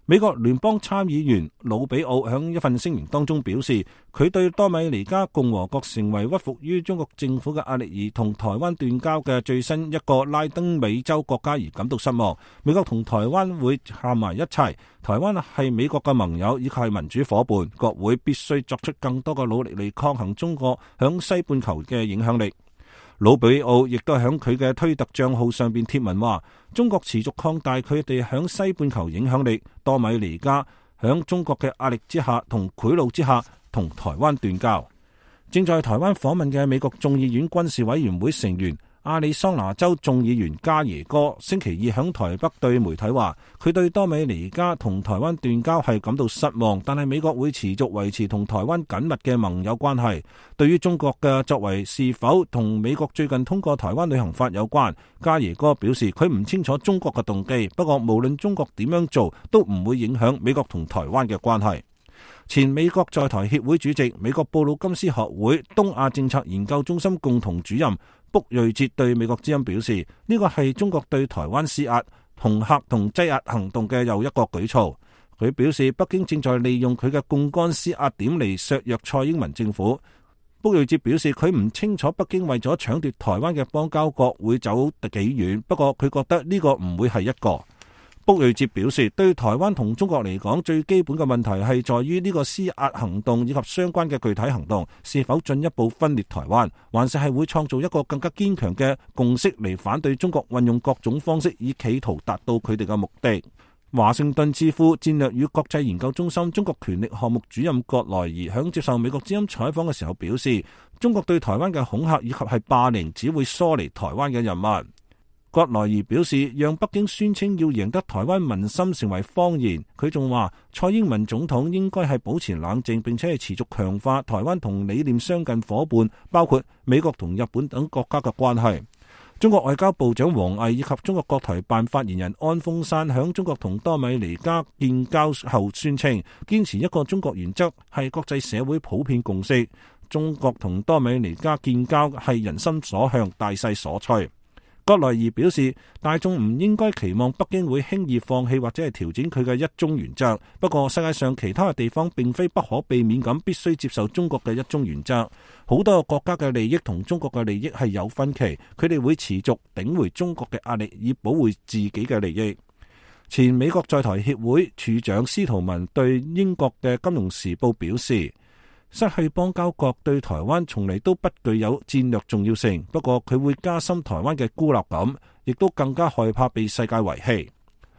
美國聯邦參議員魯比奧喺一份聲明當中表示，佢對多米尼加共和國成為屈服於中國政府嘅壓力而同台灣斷交嘅最新一個拉丁美洲國家而感到失望。美國同台灣會站埋一齊，台灣係美國嘅盟友以及係民主夥伴，國會必須作出更多嘅努力嚟抗衡中國響西半球嘅影響力。魯比奧亦都喺佢嘅推特賬號上邊貼文話，中國持續擴大佢哋響西半球影響力，多米尼加響中國嘅壓力之下同賄賂之下同台灣斷交。正在台灣訪問嘅美國眾議院軍事委員會成員亞利桑那州眾議員加耶哥星期二響台北對媒體話，佢對多米尼加同台灣斷交係感到失望，但係美國會持續維持同台灣緊密嘅盟友關係。對於中國嘅作為是否同美國最近通過台灣旅行法有關，加耶哥表示佢唔清楚中國嘅動機，不過無論中國點樣做都唔會影響美國同台灣嘅關係。前美國在台協會主席、美國布魯金斯學會東亞政策研究中心共同主任卜瑞哲對美國之音表示，呢個係中國對台灣施壓、恫嚇同擠壓行動嘅又一個舉措。佢表示，北京正在利用佢嘅槓桿施壓點嚟削弱蔡英文政府。卜瑞哲表示，佢唔清楚北京為咗搶奪台灣嘅邦交國會走幾遠，不過佢覺得呢個唔會係一個。卜瑞哲表示，對台灣同中國嚟講，最基本嘅問題係在於呢個施壓行動以及相關嘅具體行動是否進一步分裂台灣，還是係會創造一個更加堅強嘅共識嚟反對中國運用各種方式以企圖達到佢哋嘅目的。華盛頓智庫戰略與國際研究中心中國權力項目主任葛萊儀響接受美國之音採訪嘅時候表示，中國對台灣嘅恐嚇以及係霸凌只會疏離台灣嘅人民。葛萊儀表示，讓北京宣稱要贏得台灣民心成為謊言。佢仲話，蔡英文總統應該係保持冷靜，並且係持續強化台灣同理念相近夥伴，包括美國同日本等國家嘅關係。中國外交部長王毅以及中國國台辦發言人安峰山響中國同多米尼加建交後宣稱，堅持一個中國原則係國際社會普遍共識。中國同多米尼加建交係人心所向、大勢所趨。葛萊儀表示，大眾唔應該期望北京會輕易放棄或者係調整佢嘅一中原則。不過世界上其他嘅地方並非不可避免咁必須接受中國嘅一中原則。好多個國家嘅利益同中國嘅利益係有分歧，佢哋會持續頂回中國嘅壓力以保護自己嘅利益。前美國在台協會處長司徒文對英國嘅《金融時報》表示，失去邦交國對台灣從嚟都不具有戰略重要性，不過佢會加深台灣嘅孤立感，亦都更加害怕被世界遺棄。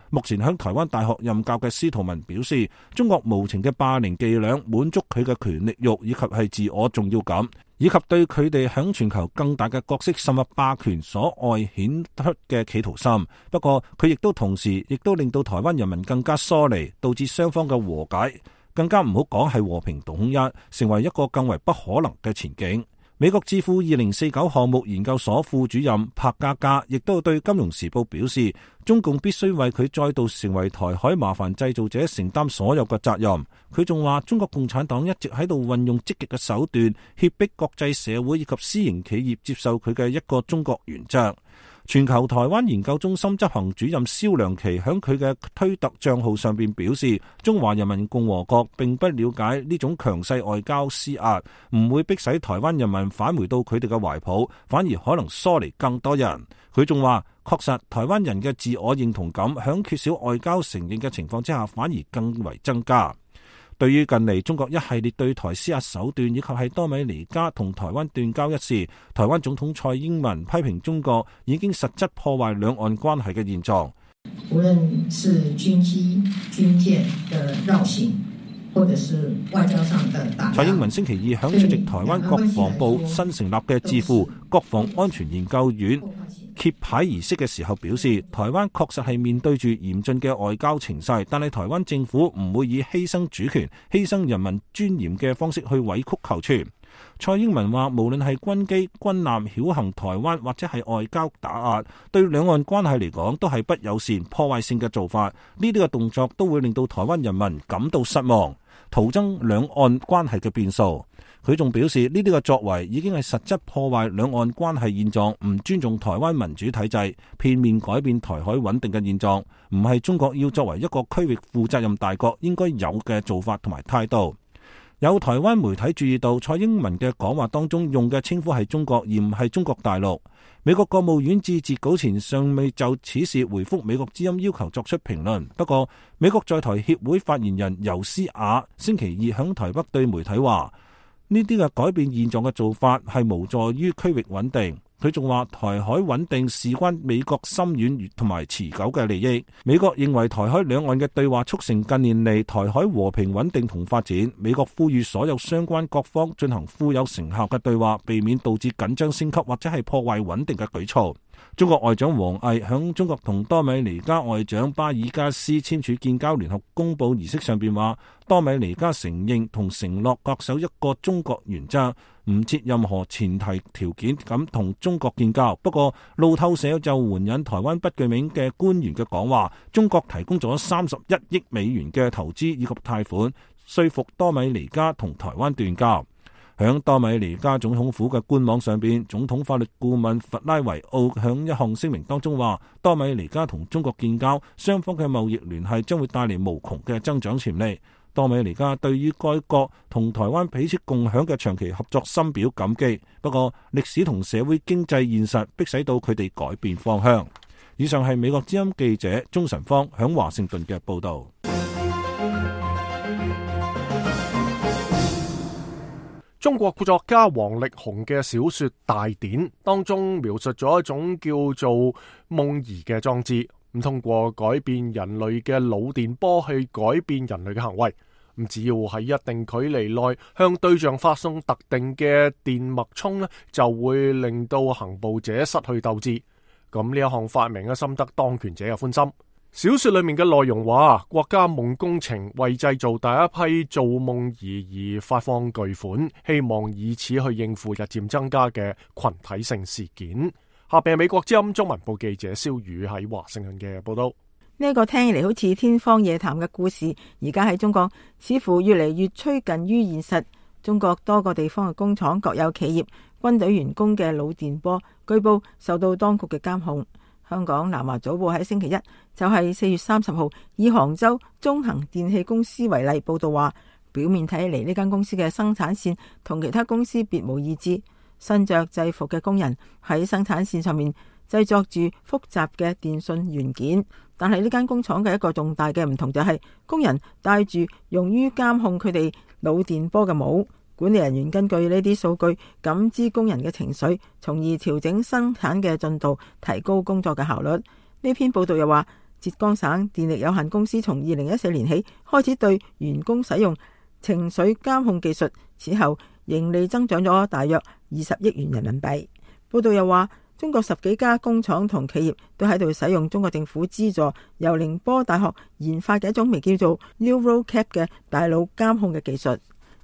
目前喺台灣大學任教嘅司徒文表示，中國無情嘅霸凌伎倆滿足佢嘅權力欲以及係自我重要感，以及對佢哋喺全球更大嘅角色甚或霸權所外顯出嘅企圖心。不過佢亦都同時亦都令到台灣人民更加疏離，導致雙方嘅和解更加唔好講係和平統一，成為一個更為不可能嘅前景。美國智庫二零四九項目研究所副主任柏嘉嘉亦都對《金融時報》表示，中共必須為佢再度成為台海麻煩製造者承擔所有嘅責任。佢仲話，中國共產黨一直喺度運用積極嘅手段，脅迫國際社會以及私營企業接受佢嘅一個中國原則。全球台灣研究中心執行主任蕭良琪喺佢嘅推特賬號上邊表示，中華人民共和國並不了解呢種強勢外交施壓，唔會迫使台灣人民返回到佢哋嘅懷抱，反而可能疏離更多人。佢仲話，確實，台灣人嘅自我認同感響缺少外交承認嘅情況之下，反而更為增加。對於近嚟中國一系列對台施壓手段，以及係多米尼加同台灣斷交一事，台灣總統蔡英文批評中國已經實質破壞兩岸關係嘅現狀。無論是軍機、軍艦的繞行，或者是外交上的打壓。蔡英文星期二響出席台灣國防部新成立嘅智庫國防安全研究院揭牌儀式嘅時候表示，台灣確實係面對住嚴峻嘅外交情勢，但係台灣政府唔會以犧牲主權、犧牲人民尊嚴嘅方式去委曲求全。蔡英文話，無論係軍機、軍艦繞行台灣，或者係外交打壓，對兩岸關係嚟講都係不友善、破壞性嘅做法。呢啲嘅動作都會令到台灣人民感到失望，徒增兩岸關係嘅變數。佢仲表示，呢啲嘅作為已經係實質破壞兩岸關係現狀，唔尊重台灣民主體制，片面改變台海穩定嘅現狀，唔係中國要作為一個區域負責任大國應該有嘅做法同埋態度。有台灣媒體注意到，蔡英文嘅講話當中用嘅稱呼係中國，而唔係中國大陸。美國國務院至截稿前尚未就此事回覆美國之音要求作出評論。不過，美國在台協會發言人尤斯雅星期二響台北對媒體話，呢啲嘅改變現狀嘅做法係無助於區域穩定。佢仲話，台海穩定事關美國深遠同埋持久嘅利益。美國認為台海兩岸嘅對話促成近年嚟台海和平穩定同發展。美國呼籲所有相關各方進行富有成效嘅對話，避免導致緊張升級或者係破壞穩定嘅舉措。中國外長王毅響中國同多米尼加外長巴爾加斯簽署建交聯合公報儀式上邊話，多米尼加承認同承諾恪守一個中國原則，唔設任何前提條件咁同中國建交。不過路透社就援引台灣不具名嘅官員嘅講話，中國提供咗三十一億美元嘅投資以及貸款，說服多米尼加同台灣斷交。響多米尼加總統府嘅官網上邊，總統法律顧問弗拉維奧響一項聲明當中話，多米尼加同中國建交，雙方嘅貿易聯繫將會帶嚟無窮嘅增長潛力。多米尼加對於該國同台灣彼此共享嘅長期合作深表感激，不過歷史同社會經濟現實迫使到佢哋改變方向。以上係美國之音記者鍾晨芳響華盛頓嘅報道。中國作家王力宏嘅小說《大典》當中描述咗一種叫做夢兒嘅裝置，咁通過改變人類嘅腦電波去改變人類嘅行為，咁只要喺一定距離內向對象發送特定嘅電脈衝呢，就會令到行捕者失去鬥志。咁呢一項發明嘅深得當權者嘅歡心。小說裏面嘅內容話，國家夢工程為製造第一批造夢兒而發放巨款，希望以此去應付日漸增加嘅群體性事件。下邊係美國之音中文部記者蕭宇喺華盛頓嘅報道。呢個聽起嚟好似天方夜譚嘅故事，而家喺中國似乎越嚟越趨近於現實。中國多個地方嘅工廠、國有企業、軍隊員工嘅腦電波，據報受到當局嘅監控。香港南華早報喺星期一，就係四月三十號，以杭州中恒電器公司為例報道話，表面睇嚟呢間公司嘅生產線同其他公司別無二致，身着制服嘅工人喺生產線上面製作住複雜嘅電信元件，但係呢間工廠嘅一個重大嘅唔同就係工人戴住用於監控佢哋腦電波嘅帽。管理人員根據呢啲數據感知工人嘅情緒，從而調整生產嘅進度，提高工作嘅效率。呢篇報道又話，浙江省電力有限公司從二零一四年起開始對員工使用情緒監控技術，此後盈利增長咗大約二十億元人民幣。報道又話，中國十幾家工廠同企業都喺度使用中國政府資助由寧波大學研發嘅一種名叫做 NeuroCap 嘅大腦監控嘅技術。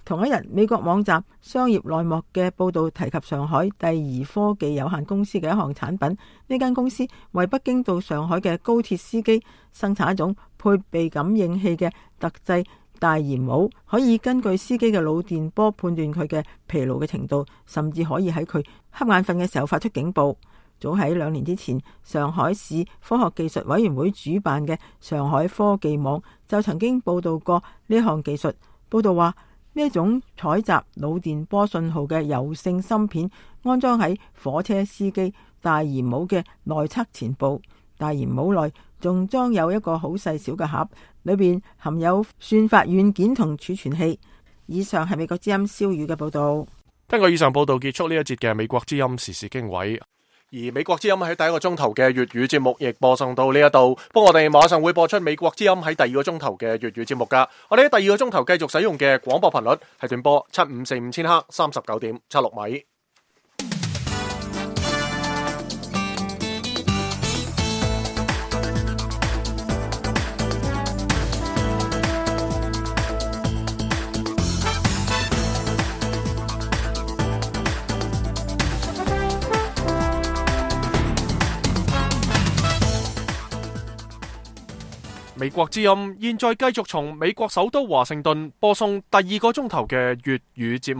同一日，美國網站商業內幕嘅報道提及上海第二科技有限公司嘅一項產品。呢間公司為北京到上海嘅高鐵司機生產一種配備感應器嘅特製大檐帽，可以根據司機嘅腦電波判斷佢嘅疲勞嘅程度，甚至可以喺佢瞌眼瞓嘅時候發出警報。早喺兩年之前，上海市科學技術委員會主辦嘅上海科技網就曾經報道過呢項技術。報道話，呢一種採集腦電波信號嘅柔性芯片安裝喺火車司機大鹽帽嘅內側前部。大鹽帽內仲裝有一個好細小嘅盒，裏邊含有算法軟件同儲存器。以上係美國之音蕭宇嘅報道。根據以上報道結束呢一節嘅美國之音時事經緯。而美國之音喺第一個鐘頭嘅粵語節目亦播送到呢一度，不過我哋馬上會播出美國之音喺第二個鐘頭嘅粵語節目噶。我哋喺第二個鐘頭繼續使用嘅廣播頻率係短波七五四五千赫三十九點七六米。美國之音現在繼續從美國首都華盛頓播送第二個鐘頭嘅粵語節目。